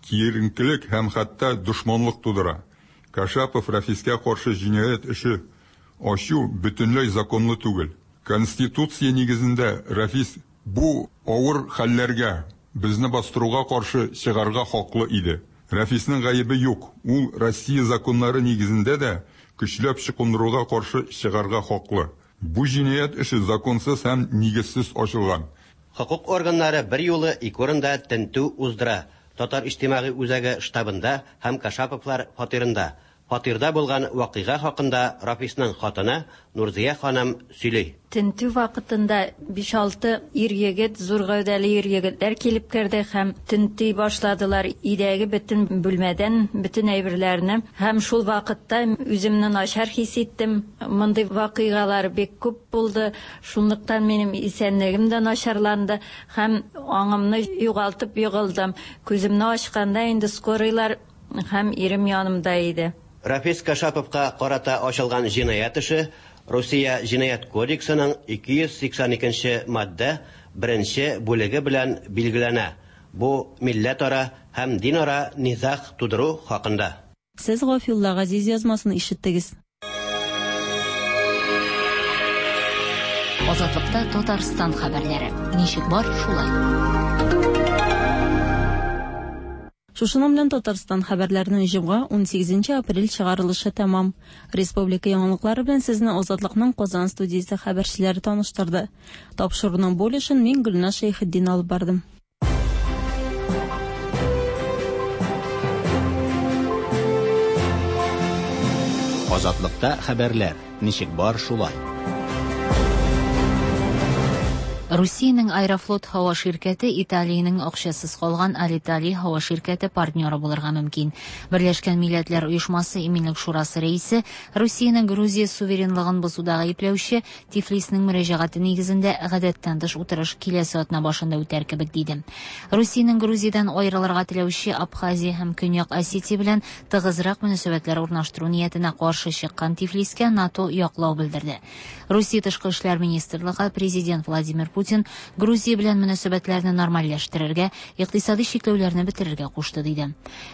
киеренкелек һәм хәтта дошманлык тудыра. Кашапов Рәфискә каршы җинаять эше ачу бөтенләй законлы түгел. Конституция нигезендә Рәфис бу авыр хәлләргә, безне бастыруга каршы чыгарга хаклы иде. Рәфиснең гаебе юк, ул Россия законнары нигезендә дә көчләп чукындыруга каршы чыгарга хаклы. Бу җинаять эше законсыз һәм нигезсез ачылган. Хокук органнары берьюлы ике урында тентү уздыра, Татар иҗтимагый үзәге штабында һәм Кашаповлар фатирында. Фатирда булган вакыйга хакында Рафисның хатыны Нурзия ханым сөйли. Тентү вакытында биш-алты ир-егет, зур гәүдәле ир-егетләр килеп керде һәм тенти башладылар өйдәге бөтен бүлмәдән бөтен әйберләрне. Һәм шул вакытта үземне начар хис иттем. Мондый вакыйгалар бик күп булды. Шунлыктан минем исәнлегем дә начарланды һәм аңымны югалтып егылдым. Күземне ачканда инде скорыйлар һәм ирем янымда иде. Рафис Кашаповка карата ачылган җинаять эше Русия Җинаять кодексының ике йөз сиксән икенче маддә беренче бүлеге белән билгеләнә. Бу милләтара һәм динара низаг тудыру хакында. Сез Гафиулла Газиз язмасын ишеттегез. Азатлыкта Татарстан хәбәрләре. Ничек бар, шулай. Шушының белән Татарстан хәбәрләренең җомга унсигезенче апрель чыгарылышы тәмам. Республика яңалыклары белән сезне Азатлыкның Казан студиясе хәбәрчеләре таныштырды. Тапшыруның бу өлешен мин Гөлназ Шәйхетдин алып бардым. Азатлыкта хәбәрләр. Ничек бар, шулай. Русиянең Аэрофлот һава ширкәте Италиянең акчасыз калган Алиталия һава ширкәте партнеры булырга мөмкин. Берләшкән Милләтләр Оешмасы Иминлек Шурасы рәисе Русиянең Грузия суверенлыгын бозуда гаепләүче Тифлисның мөрәҗәгате нигезендә гадәттән тыш утырыш киләсе атна башында үтәр кебек диде. Русиянең Грузиядән аерылырга теләүче Абхазия һәм Көньяк Осетия белән тыгызрак мөнәсәбәтләр урнаштыру ниятенә каршы чыккан Тифлискә НАТО яклау белдерде. Русия Тышкы эшләр министрлыгы президент Владимир Путин Грузия белән мөнәсәбәтләрне нормальләштерергә, икътисади чикләүләрне бетерергә кушты диде.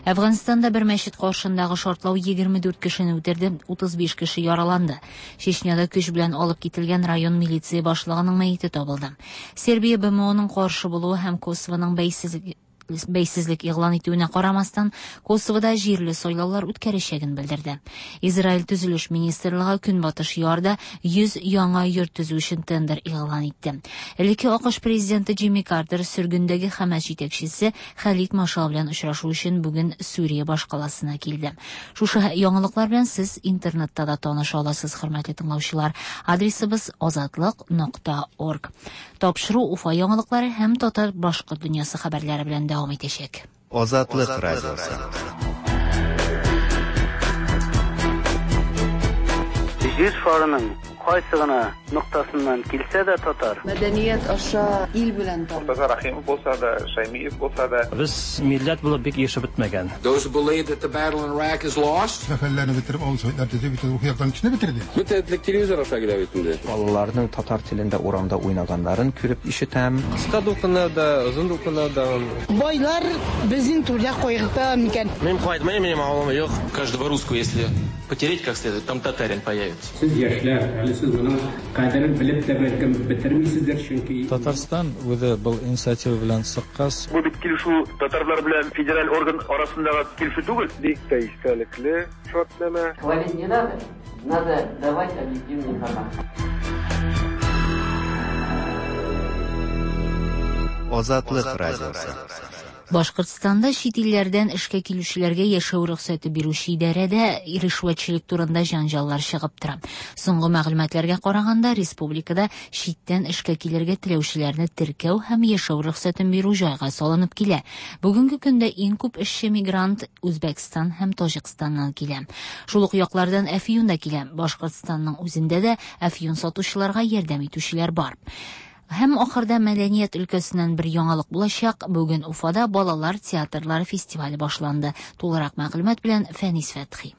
Әфганстанда бер мәчет каршындагы шартлау егерме дүрт кешене үтерде, утыз биш кеше яраланды. Чечняда көч белән алып кителгән район милиция башлыгының мәете табылды. Сербия Б М Оның каршы булуы һәм Косовоның бәйсезлек бәйсезлек игълан итүенә карамастан, Косовода җирле сайлаулар үткәрәчәген белдерде. Израиль төзелеш министрлыгы Көнбатыш ярда йөз яңа йорт төзү өчен тендер игълан итте. Элекке АКШ президенты Джимми Картер сөргендәге Хәмәс җитәкчесе Халид Машал белән очрашу өчен бүген Сүрия башкаласына килде. Шушы яңалыклар белән сез интернетта да таныша аласыз, хөрмәтле тыңлаучылар. Адресыбыз азатлык нокта орг. Тапшыру Уфа яңалыклары һәм татар башкорт дөньясы хәбәрләре белән дәвам итәчәк. Азатлык радиосы. Җир шарының кайсы гына ноктасыннан килсә дә татар. Мәдәният аша ил белән танып. Мортаза Рахимов булса да, Шаймиев булса да. Без милләт булып бик ешып бетмәгән. Those who believe that the battle in Iraq is lost. Сәфәрләрне бетереп, авыл советлар төзеп, бөтен рухи яктан кешене бетерде. Бөтен телевизор аша килә бит инде. Балаларның татар телендә урамда уйнаганнарын күреп ишетәм. Кыска дулкыннар да, озын дулкыннар да. Байлар безнең түрдә кайгырта микән? Мин кайтмыйм, минем авылым юк. Каждого русского, если потереть как следует, там татарин появится. Сез яшьләр, әле сез моның кадерен белеп тә бәлкем бетермисездер, чөнки Татарстан үзе был инициатива белән чыккач. Бу бит килешү татарлар белән федераль орган арасындагы килешү түгел. Бик тә истәлекле шартнамә. Хвалить не надо, надо давать объективную информацию. Азатлык радиосы. Башкортстанда чит илләрдән эшкә килүчеләргә яшәү рөхсәте бирүче идарәдә ришвәтчелек турында җанҗаллар чыгып тора. Соңгы мәгълүматларга караганда, республикада читтән эшкә килергә теләүчеләрне теркәү һәм яшәү рөхсәтен бирү җайга салынып килә. Бүгенге көндә иң күп эшче мигрант Үзбәкстан һәм Таҗикстаннан килә. Шул ук яклардан әфьюн да килә. Башкортстанның үзендә дә әфьюн сатучыларга ярдәм итүчеләр бар. Һәм ахырда мәдәният өлкәсеннән бер яңалык булачак. Бүген Уфада балалар театрлары фестивале башланды. Тулырак мәгълүмат белән Фәнис Фәтхи.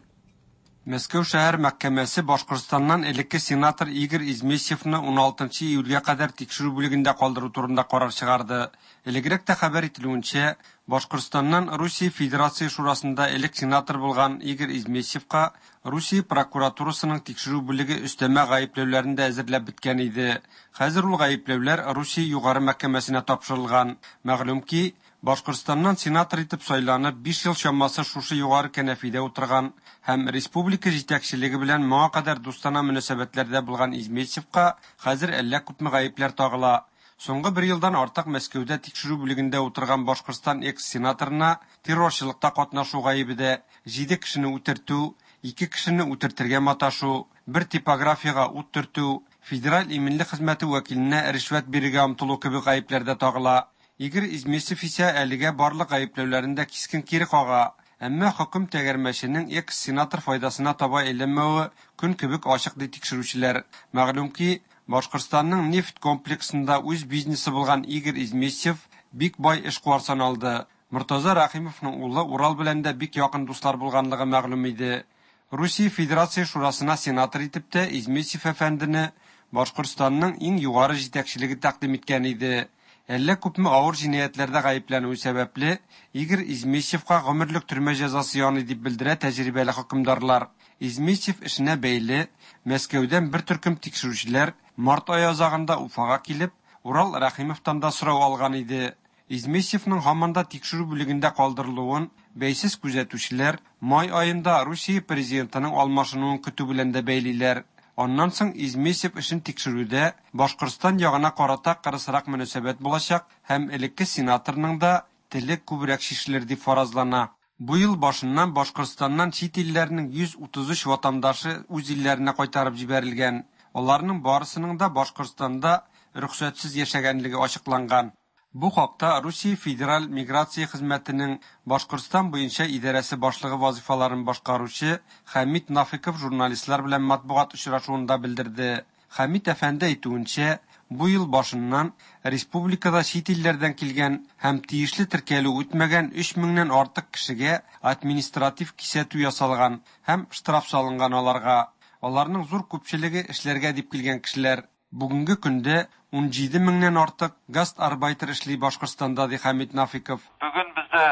Мәскәү шәһәр мәхкәмәсе Башкортстаннан элекке сенатор Игорь Измесьевны уналтынчы июльгә кадәр тикшерү бүлегендә калдыру турында карар чыгарды. Элегрәк тә хәбәр ителүенчә, Башкортстаннан Русия Федерация Шурасында элек сенатор булган Игорь Измесьевка Русия прокуратурасының тикшерү бүлеге өстәмә гаепләүләрен дә әзерләп беткән иде. Хәзер ул гаепләүләр Русия югары мәхкәмәсенә тапшырылган. Мәгълүм ки, Башкортстаннан сенатор итеп сайланып, биш ел чамасы шушы югары кәнәфидә утырган һәм республика җитәкчелеге белән моңа кадәр дустана мөнәсәбәтләрдә булган Измесьевка хәзер әллә күпме гаепләр тагыла. Соңгы бер елдан артык Мәскәүдә тикшерү бүлегендә утырган Башкортстан экс-сенаторына террорчылыкта катнашу гаебе дә, җиде кешене үтертү, ике кешене үтертергә маташу, бер типографияга ут төртү, федераль иминлек хезмәте вәкиленә ришвәт бирергә омтылу кебек гаепләр дә тагыла. Игорь Измесьев исә әлегә барлык гаепләүләрен дә кискен кире кага. Әмма хөкем тәгәрмәченең экс-сенатор файдасына таба әйләнмәве көн кебек ачык, ди тикшерүчеләр. Мәгълүм ки, Башкортстанның нефть комплексында үз бизнесы булган Игорь Измесьев бик бай эшкуар саналды. Мортаза Рәхимовның улы Урал белән дә бик якын дуслар булганлыгы мәгълүм иде. Русия Федерация Шурасына сенатор итеп тә Измесьев әфәндене Башкортстанның иң югары җитәкчелеге тәкъдим иткән иде. Әллә күпме авыр җинаятьләрдә гаепләнүе сәбәпле, Игорь Измесьевка гомерлек төрмә җәзасы яный дип белдерә тәҗрибәле хөкемдарлар. Измесьев эшенә бәйле Мәскәүдән бер төркем тикшерүчеләр март ае азагында Уфага килеп, Урал Рәхимовтан да сорау алган иде. Измесьевның һаман да тикшерү бүлегендә калдырылуын бәйсез күзәтүчеләр май аенда Русия президентының алмашынуын көтү белән дә бәйлиләр. Аннан соң Измесьев эшен тикшерүдә Башкортстан ягына карата кырысрак мөнәсәбәт булачак һәм элекке сенаторның да теле күбрәк чишелер дип фаразлана. Бу ел башыннан Башкортстаннан чит илләрнең йөз утыз өч ватандашы үз илләренә кайтарып җибәрелгән. Аларның барысының да Башкортстанда рөхсәтсез яшәгәнлеге ачыкланган. Бу хакта Русия Федераль миграция хезмәтенең Башкортстан буенча идарәсе башлыгы вазифаларын башкаручы Хәмит Нафиков журналистлар белән матбугат очрашуында белдерде. Хәмит әфәнде әйтүенчә, бу ел башыннан республикада чит илләрдән килгән һәм тиешле теркәлү үтмәгән өч меңнән артык кешегә административ кисәтү ясалган һәм штраф салынган аларга. Аларның зур күпчелеге эшләргә дип килгән кешеләр. Бүгенге көндә ун җиде меңнән артык гастарбайтер эшли Башкортстанда, ди Хәмит Нафиков. Бүген бездә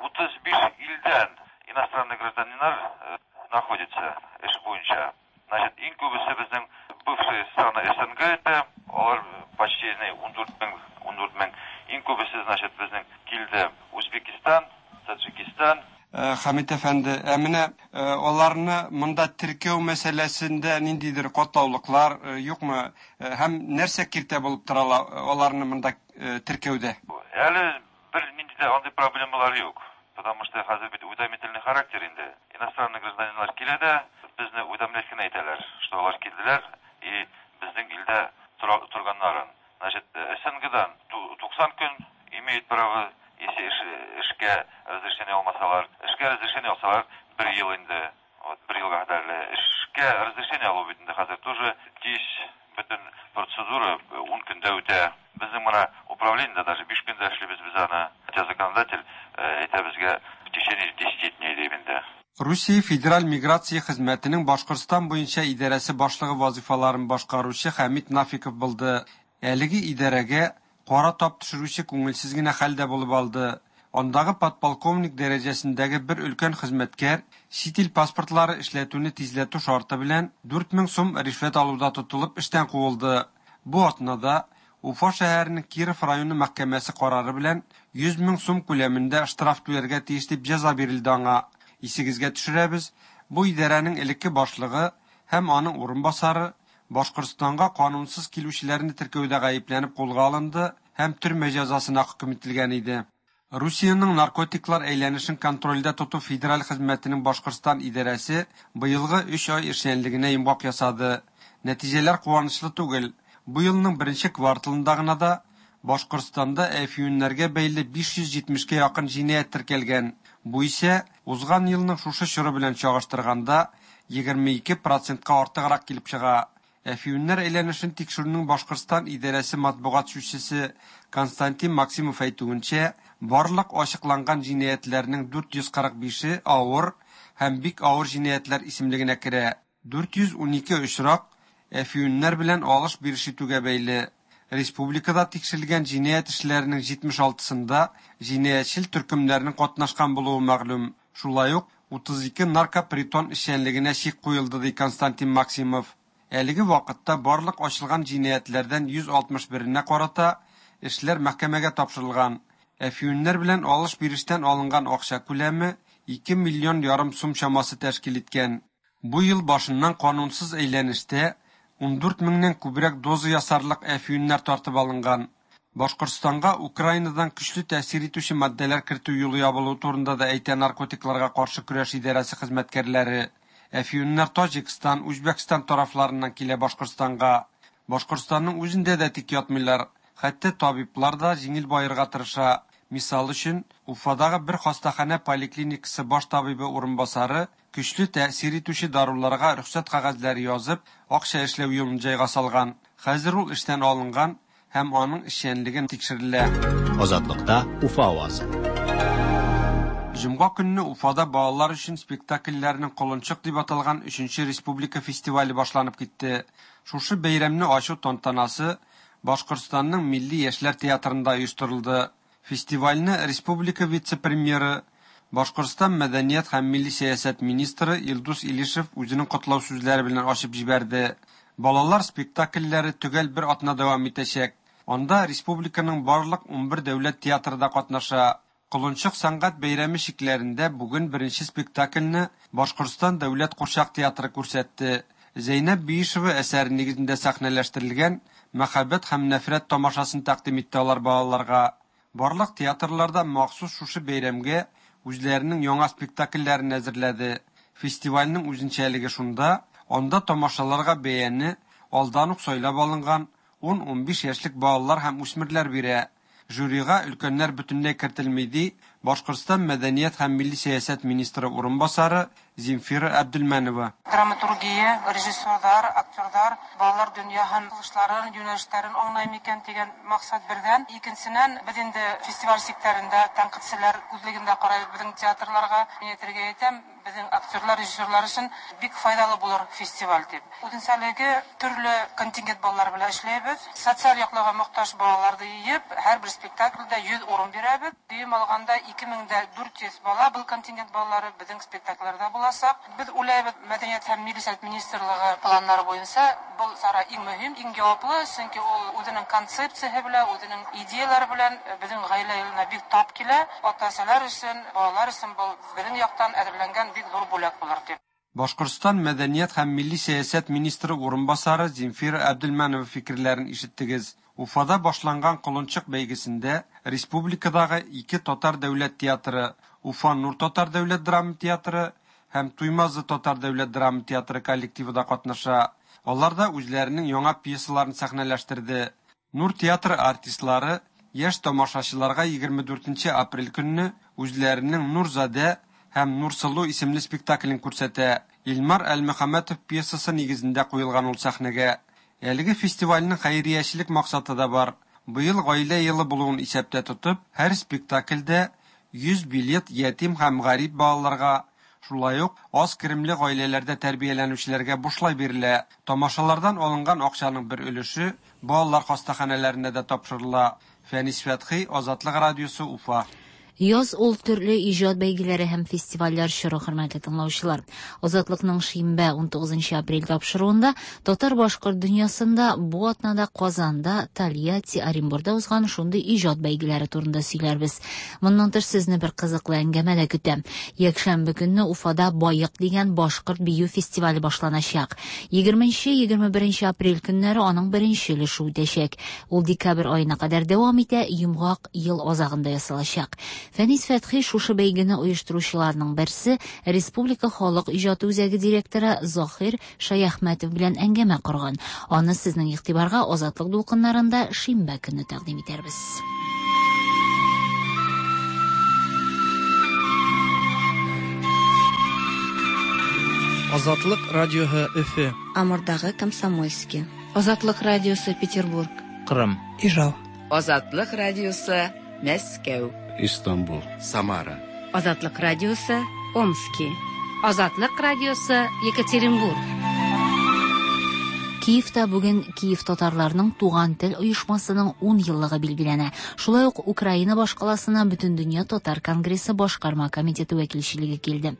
утыз биш илдән иностранный гражданиннар находится эш буенча. Значит, иң күбесе безнең бывшие страны СНГ это, алар почти ун дүрт мең, ун дүрт мең. Иң күбесе, значит, безнең килде Үзбекистан, Таджикистан. Хәмит әфәнде, ә менә аларны монда теркәү мәсьәләсендә ниндидер катлаулыклар юкмы? Һәм нәрсә киртә булып тора аларны монда теркәүдә? Әле бер нинди дә андый проблемалар юк, потому что хәзер бит уведомительный характер инде. Иностранный гражданиннар килә дә, безне уведомлять кенә итәләр, что алар килделәр и безнең илдә торганнарын. Значит, СНГдан туксан көн имеет право, если эшкә разрешение алмасалар, эшкә разрешение алсалар, бер ел инде, вот бер елга кадәрле. Эшкә разрешение алу бит инде хәзер тоже тиз, бөтен процедура ун көндә үтә. Безнең менә управлениедә даже биш көндә эшлибез без аны. Хотя законодатель әйтә безгә в течение десяти дней дип инде. Русия Федераль миграция хезмәтенең Башкортстан буенча идарәсе башлыгы вазифаларын башкаручы Хәмит Нафиков булды. Әлеге идарәгә кара тап төшерүче күңелсез генә хәл дә булып алды. Андагы подполковник дәрәҗәсендәге бер өлкән хезмәткәр чит ил паспортлары эшләтүне тизләтү шарты белән дүрт мең сум ришвәт алуда тотылып эштән куылды. Бу атнада Уфа шәһәренең Киров районы мәхкәмәсе карары белән йөз мең сум күләмендә штраф түләргә тиеш дип җәза бирелде аңа. Исегезгә төшерәбез, бу идарәнең элекке башлыгы һәм аның урынбасары Башкортстанга канунсыз килүчеләрне теркәүдә гаепләнеп кулга алынды һәм төрмә җәзасына хөкем ителгән иде. Русиянең наркотиклар әйләнешен контрольдә тоту федераль хезмәтенең Башкортстан идарәсе быелгы өч ай эшчәнлегенә йомгак ясады. Нәтиҗәләр куанычлы түгел. Бу елның беренче кварталында гына да Башкортстанда әфьюннәргә бәйле биш йөз җитмешкә якын җинаять теркәлгән. Бу исә узган елның шушы чоры белән чагыштырганда егерме ике процентка артыграк килеп чыга. Әфиуннар әйләнешен тикшерүнең Башкортстан идарәсе матбугат сүзчесе Константин Максимов әйтүенчә, барлык ачыкланган җинаятьләрнең дүрт йөз кырык бише авыр һәм бик авыр җинаятьләр исемлегенә керә. дүрт йөз унике очрак әфиуннар белән алыш-биреш итүгә бәйле. Республикада тикшерелгән җинаять эшләренең җитмеш алтысында җинаятьчел төркемнәрнең катнашкан булуы мәгълүм. Шулай ук утыз ике наркопритон эшчәнлегенә чик куелды, ди Константин Максимов. Әлеге вакытта барлык ачылган җинаятьләрдән йөз алтмыш беренә карата эшләр мәхкәмәгә тапшырылган. Әфиуннар белән алыш-бирештән алынган акча күләме ике миллион ярым сум чамасы тәшкил иткән. Бу ел башыннан канунсыз әйләнештә ундүрт меңнән күбрәк доза ясарлык әфиуннар тартып алынган. Башкортстанга Украинадан көчле тәэсир итүче матдәләр кертү юлы ябылуы турында да әйтә наркотикларга каршы көрәш идарәсе хезмәткәрләре. Әфиуннар Таҗикстан, Үзбәкстан тарафларыннан килә Башкортстанга. Башкортстанның үзендә дә тик ятмыйлар. Хәтта табиблар да җиңел баерга тырыша. Мисал өчен, Уфадагы бер хастаханә поликлиникасы баш табибы урынбасары көчле тәэсир итүче даруларга рөхсәт кәгазьләре язып, акча эшләү юлын җайга салган. Хәзер ул эштән алынган һәм аның эшчәнлеге тикшерелә. Азатлыкта Уфа авазы. Җомга көнне Уфада балалар өчен спектакльләрнең Колынчык дип аталган өченче республика фестивале башланып китте. Шушы бәйрәмне ачу тантанасы Башкортстанның Милли яшьләр театрында оештырылды. Фестивальне республика вице-премьеры, Башкортстан мәдәният һәм милли сәясәт министры Илдус Илишев үзенең котлау сүзләре белән ачып җибәрде. Балалар спектакльләре төгәл бер атна дәвам итәчәк. Анда республиканың барлык унбер дәүләт театры да катнаша. Колынчык сәнгать бәйрәме чикләрендә бүген беренче спектакльне Башкортстан дәүләт курчак театры күрсәтте. Зәйнәб Биишева әсәре нигезендә сәхнәләштерелгән Мәхәббәт һәм нәфрәт тамашасын тәкъдим итте алар балаларга. Барлык театрларда махсус шушы бәйрәмгә үзләренең яңа спектакльләрен әзерләде. Фестивальнең үзенчәлеге шунда, анда тамашаларга бәяне алдан ук сайлап алынган ун-унбиш яшьлек балалар һәм үсмерләр бирә. Жюрига өлкәннәр бөтенләй кертелми, ди Башкортстан мәдәният һәм милли сәясәт министры урынбасары Земфира Әбделмәнова. Драматургия, режиссерлар, актерлар балалар дөньяһын, кылышларын, юнәлешләрен аңлай микән дигән максат бердән. Икенченнән, без инде фестиваль чикләрендә тәнкыйтьчеләр күзлегендә карайбыз безнең театрларга. Мин әйтергә әйтәм, безнең актерлар, режиссерлар өчен бик файдалы булыр фестиваль дип. Үзенчәлеге төрле контингент балалар белән эшләйбез. Социаль яклауга мохтаҗ балаларны җыеп, һәрбер спектакльдә йөз урын бирәбез. Дөем алганда ике мең дә дүрт йөз бала был контингент балалары безнең спектакльләрдә булачак. Без уйлайбыз, мәдәният һәм милли сәясәт министрлыгы планнары буенча был чара иң мөһим, иң җаваплы, чөнки ул үзенең концепциясе белән, үзенең идеялары белән безнең гаилә елына бик тап килә. Ата-аналар өчен, балалар өчен был безнең яктан әзерләнгән бик зур бүләк булыр дип. Башкортстан мәдәният һәм милли сәясәт министры урынбасары Земфира Әбделмәнова фикерләрен ишеттегез. Уфада башланган Колынчык бәйгесендә республикадагы ике татар дәүләт театры, Уфа Нур татар дәүләт драма театры һәм Туймазы татар дәүләт драма театры коллективы да катнаша. Алар да үзләренең яңа пьесаларын сәхнәләштерде. Нур театры артистлары яшь тамашачыларга егерме дүртенче апрель көнне үзләренең Нурзадә һәм Нурсылу исемле спектаклен күрсәтә. Илмар Әлмөхәммәтов пьесасы нигезендә куелган ул сәхнәгә. Әлеге фестивальнең хәйриячелек максаты да бар. Быел гаилә елы булуын исәптә тотып, һәр спектакльдә йөз билет ятим һәм гарип балаларга, шулай ук аз керемле гаиләләрдә тәрбияләнүчеләргә бушлай бирелә. Тамашалардан алынган акчаның бер өлеше балалар хастаханәләренә дә тапшырыла. Фәнис Фәтхи, Азатлык радиосы, Уфа. Яз ул төрле иҗат бәйгеләре һәм фестивальләр чоры, хөрмәтле тыңлаучылар. Азатлыкның шимбә унтугызынчы апрель тапшыруында татар-башкорт дөньясында бу атнада Казанда, Тольятти, Оренбургда узган шундый иҗат бәйгеләре турында сөйләрбез. Моннан тыш сезне бер кызыклы әңгәмә дә көтә. Якшәмбе көнне Уфада Байык дигән башкорт бию фестивале башланачак. Егерменче, егерме беренче апрель көннәре аның беренче өлеше үтәчәк. Ул декабрь аена кадәр дәвам итә, йомгак ел азагында ясалачак. Фәнис Фәтхи шушы бәйгене оештыручыларның берсе, Республика халык иҗаты үзәге директоры Заһир Шаяхмәтов белән әңгәмә корган. Аны сезнең игътибарга Азатлык дулкыннарында шимбә көнне тәкъдим итәрбез. Азатлык радиоһы Өфө. Амурдагы Комсомольский. Азатлык радиосы Петербург. Кырым. Ижау. Азатлык радиосы Мәскәү. Истанбул. Самара. Азатлык радиосы Омски. Азатлык радиосы Екатеринбург. Киевта бүген Киев татарларының Туган тел оешмасының ун еллыгы билгеләнә. Шулай ук Украина башкаласына Бөтендөнья татар конгрессы башкарма комитеты вәкилчелеге килде.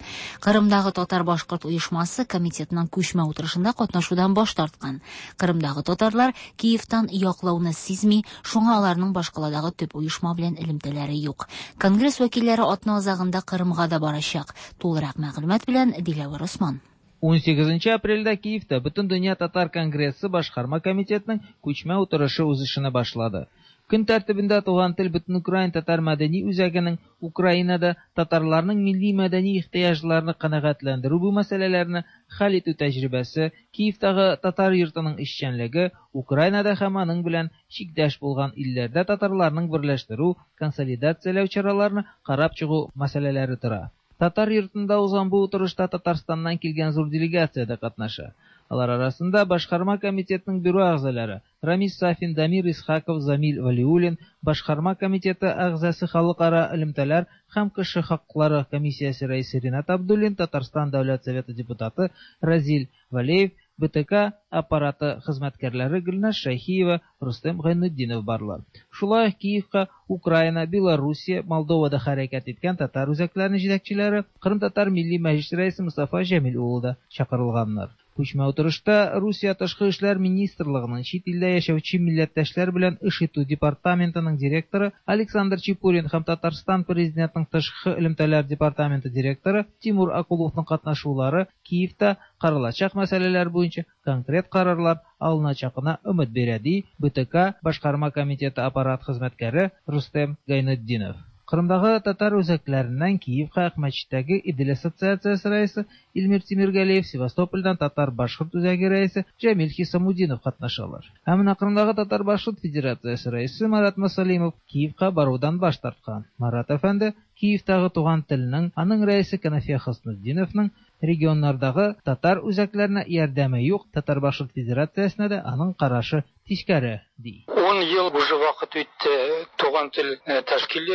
Кырымдагы татар-башкорт оешмасы комитетның күчмә утырышында катнашудан баш тарткан. Кырымдагы татарлар Киевтан яклауны сизми, шуңа аларның башкаладагы төп оешма белән элемтәләре юк. Конгресс вәкилләре атна азагында Кырымга да барачак. Тулырак мәгълүмат белән Диләвер Осман. Унсигезенче апрельдә Киевта Бөтендөнья татар конгрессы башкарма комитетының күчмә утырышы үз эшенә башлады. Көн тәртибендә Туган тел Бөтенукраин татар мәдәни үзәгенең Украинада татарларның милли мәдәни ихтыяҗларын канәгатьләндерү бу мәсьәләләрне хәл итү тәҗрибәсе, Киевтагы татар йортының эшчәнлеге, Украинада һәм аның белән чиктәш булган илләрдә татарларның берләштерү, консолидацияләү чараларын карап чыгу мәсьәләләре тора. Татар йортында узган бу утырышта Татарстаннан килгән зур делегация дә катнаша. Алар арасында башкарма комитетының бюро әгъзалары Рамис Сафин, Дамир Исхаков, Замил Валиуллин, башкарма комитеты әгъзасы халыкара элемтәләр һәм кеше хаклары комиссиясе рәисе Ринат Абдуллин, Татарстан Дәүләт Советы депутаты Разил Валеев, Б Т К аппараты хезмәткәрләре Гөлназ Шәйхиева, Рустем Гайнетдинов барлар. Шулай ук Киевка Украина, Белоруссия, Молдовада хәрәкәт иткән татар үзәкләренең җитәкчеләре, Кырым татар милли мәҗлесе рәисе Мустафа Җәмил улы да чакырылганнар. Күчмә утырышта Русия Тышкы эшләр министрлыгының чит илдә яшәүче милләттәшләр белән эш итү департаментының директоры Александр Чепурин һәм Татарстан президентының тышкы элемтәләр департаменты директоры Тимур Акуловның катнашулары Киевта каралачак мәсьәләләр буенча конкрет карарлар алыначагына өмет бирә, ди Б Т К башкарма комитеты аппарат хезмәткәре Рустем Гайнетдинов. Кырымдагы татар үзәкләреннән Киевка Акмәчеттәге Идел ассоциациясе рәисе Илмир Тимиргалиев, Севастопольдан татар-башкорт үзәге рәисе Җәмил Хисамудинов катнашалар. Ә менә Кырымдагы татар-башкорт федерациясе рәисе Марат Масалимов Киевка барудан баш тарткан. Марат әфәнде Киевтагы Туган телнең, аның рәисе Канафия Хөснетдиновның регионнардагы татар үзәкләренә ярдәме юк, татар-башкорт федерациясенә дә аның карашы тискәре, ди. Ун ел уже вакыт үтте Туган тел тәшкил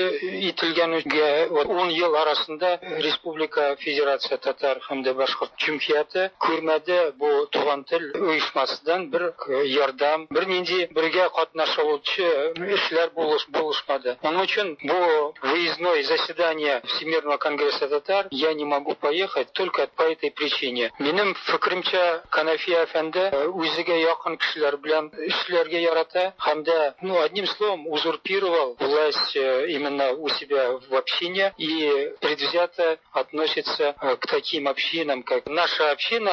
ителгәнгә. Ун ел арасында Республика Федерация татар һәм дә башкорт җөмһүрияте күрмәде бу Туган тел оешмасыдан бер ярдәм, бер нинди бергә катнашучы эшләр булышмады. Моның өчен бу выездной заседание Всемирного конгресса татар я не могу поехать только по этой причине. Минем фикеремчә, Канафия әфәнде үзегә якын кешеләр белән эшләргә ярата һәм дә, ну, одним словом, узурпировал власть именно у себя в общине и предвзято относится к таким общинам, как наша община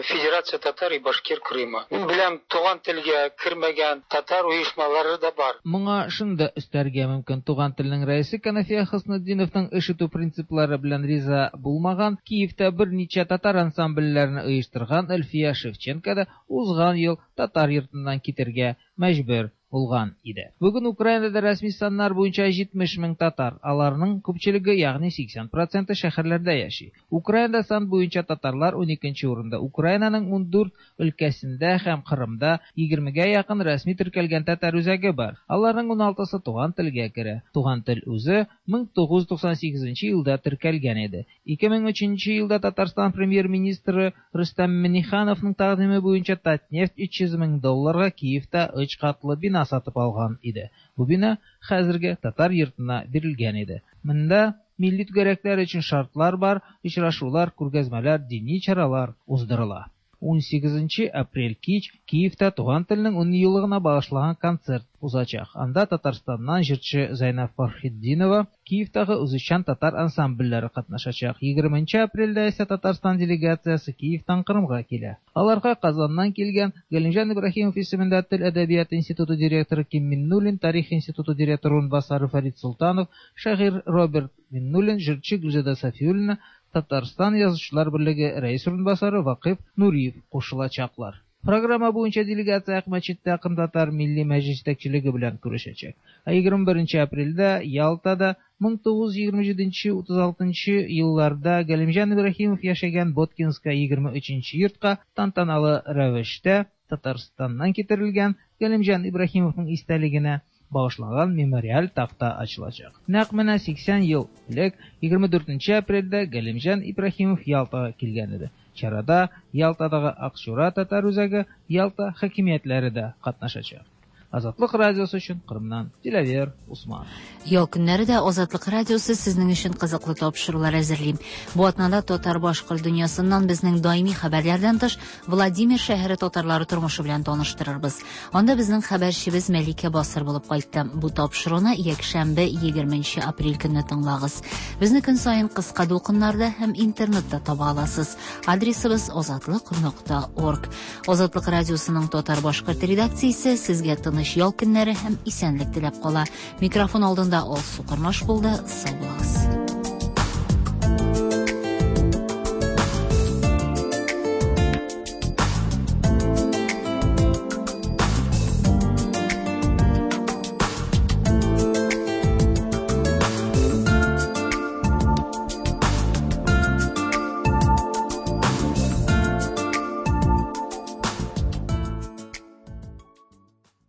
Федерация татар и башкир Крыма. Беләм, Туган телгә кермәгән татар оешмалары да бар. Моңа шуны да өстәргә мөмкин: Туган телнең рәисе Канафия Хөснетдиновның эш итү принциплары белән риза булмаган, Киевта берничә татар ансамбльләрен оештырган Әлфия Шевченко да узган ел татар йортыннан китергә мәҗбүр булган иде. Бүген Украинада рәсми саннар буенча җитмеш мең татар, аларның күпчелеге, ягъни сиксән проценты шәһәрләрдә яши. Украинада сан буенча татарлар уникенче урында. Украинаның ундүрт өлкәсендә һәм Кырымда егермегә якын рәсми теркәлгән татар үзәге бар. Аларның уналтысы Туган телгә керә. Туган тел үзе мең тугыз йөз туксан сигезенче елда теркәлгән иде. ике мең өченче елда Татарстан премьер-министры Рөстәм Миңнехановның тәкъдиме буенча Татнефть өч йөз мең долларга Киевта өч катлы бина сатып алган иде. Бу бина хәзерге татар йортына бирелгән иде. Монда милли түгәрәкләр өчен шартлар бар, очрашулар, күргәзмәләр, дини чаралар уздырыла. Унсигезенче апрель кич Киевта Туган телнең ун еллыгына багышланган концерт узачак. Анда Татарстаннан җырчы Зәйнәб Фәрхетдинова, Киевтагы үзешчән татар ансамбльләре катнашачак. Егерменче апрельдә исә Татарстан делегациясе Киевтан Кырымга килә. Аларга Казаннан килгән Галимҗан Ибраһимов исемендә Тел әдәбияты институты директоры Ким Миннуллин, Тарих институты директоры урынбасары Фәрид Солтанов, шагыйрь Роберт Миннуллин, җырчы Гөлзада Сафиуллина, Татарстан Язучылар берлеге рәис урынбасары Вакыйф Нуриев кушылачаклар. Программа буенча делегация Акмәчеттә Кырымтатар Милли Мәҗлис җитәкчелеге белән күрешәчәк. Ә егерме беренче апрельдә Ялтада мең тугыз йөз егерме җиденче утыз алтынчы елларда Галимҗан Ибраһимов яшәгән Боткинская егерме өченче йортка тантаналы рәвештә Татарстаннан китерелгән Галимҗан Ибраһимовның истәлегенә багышланган мемориаль такта ачылачак. Нәкъ менә сиксән ел элек егерме дүртенче апрельдә Галимҗан Ибраһимов Ялтага килгән иде. Чарада Ялтадагы Акчура татар үзәге, Ялта хакимиятләре дә катнашачак. Азатлык радиосы өчен Кырымнан Диләвер Усман. Ял көннәре дә Азатлык радиосы сезнең өчен кызыклы тапшырулар әзерли. Бу атнада татар-башкорт дөньясыннан безнең даими хәбәрләрдән тыш Владимир шәһәре татарлары тормышы белән таныштырырбыз. Анда безнең хәбәрчебез Мәликә Басыр булып кайтты. Бу тапшыруны якшәмбе егерменче апрель көнне тыңлагыз. Безне көн саен кыска дулкыннарда һәм интернетта таба аласыз. Адресыбыз азатлык нокта орг. Азатлык радиосының татар-башкорт редакциясе сезгә тыныч ял көннәре һәм исәнлек теләп кала. Микрофон алдында Алсу Кормаш булды. Сау булыгыз.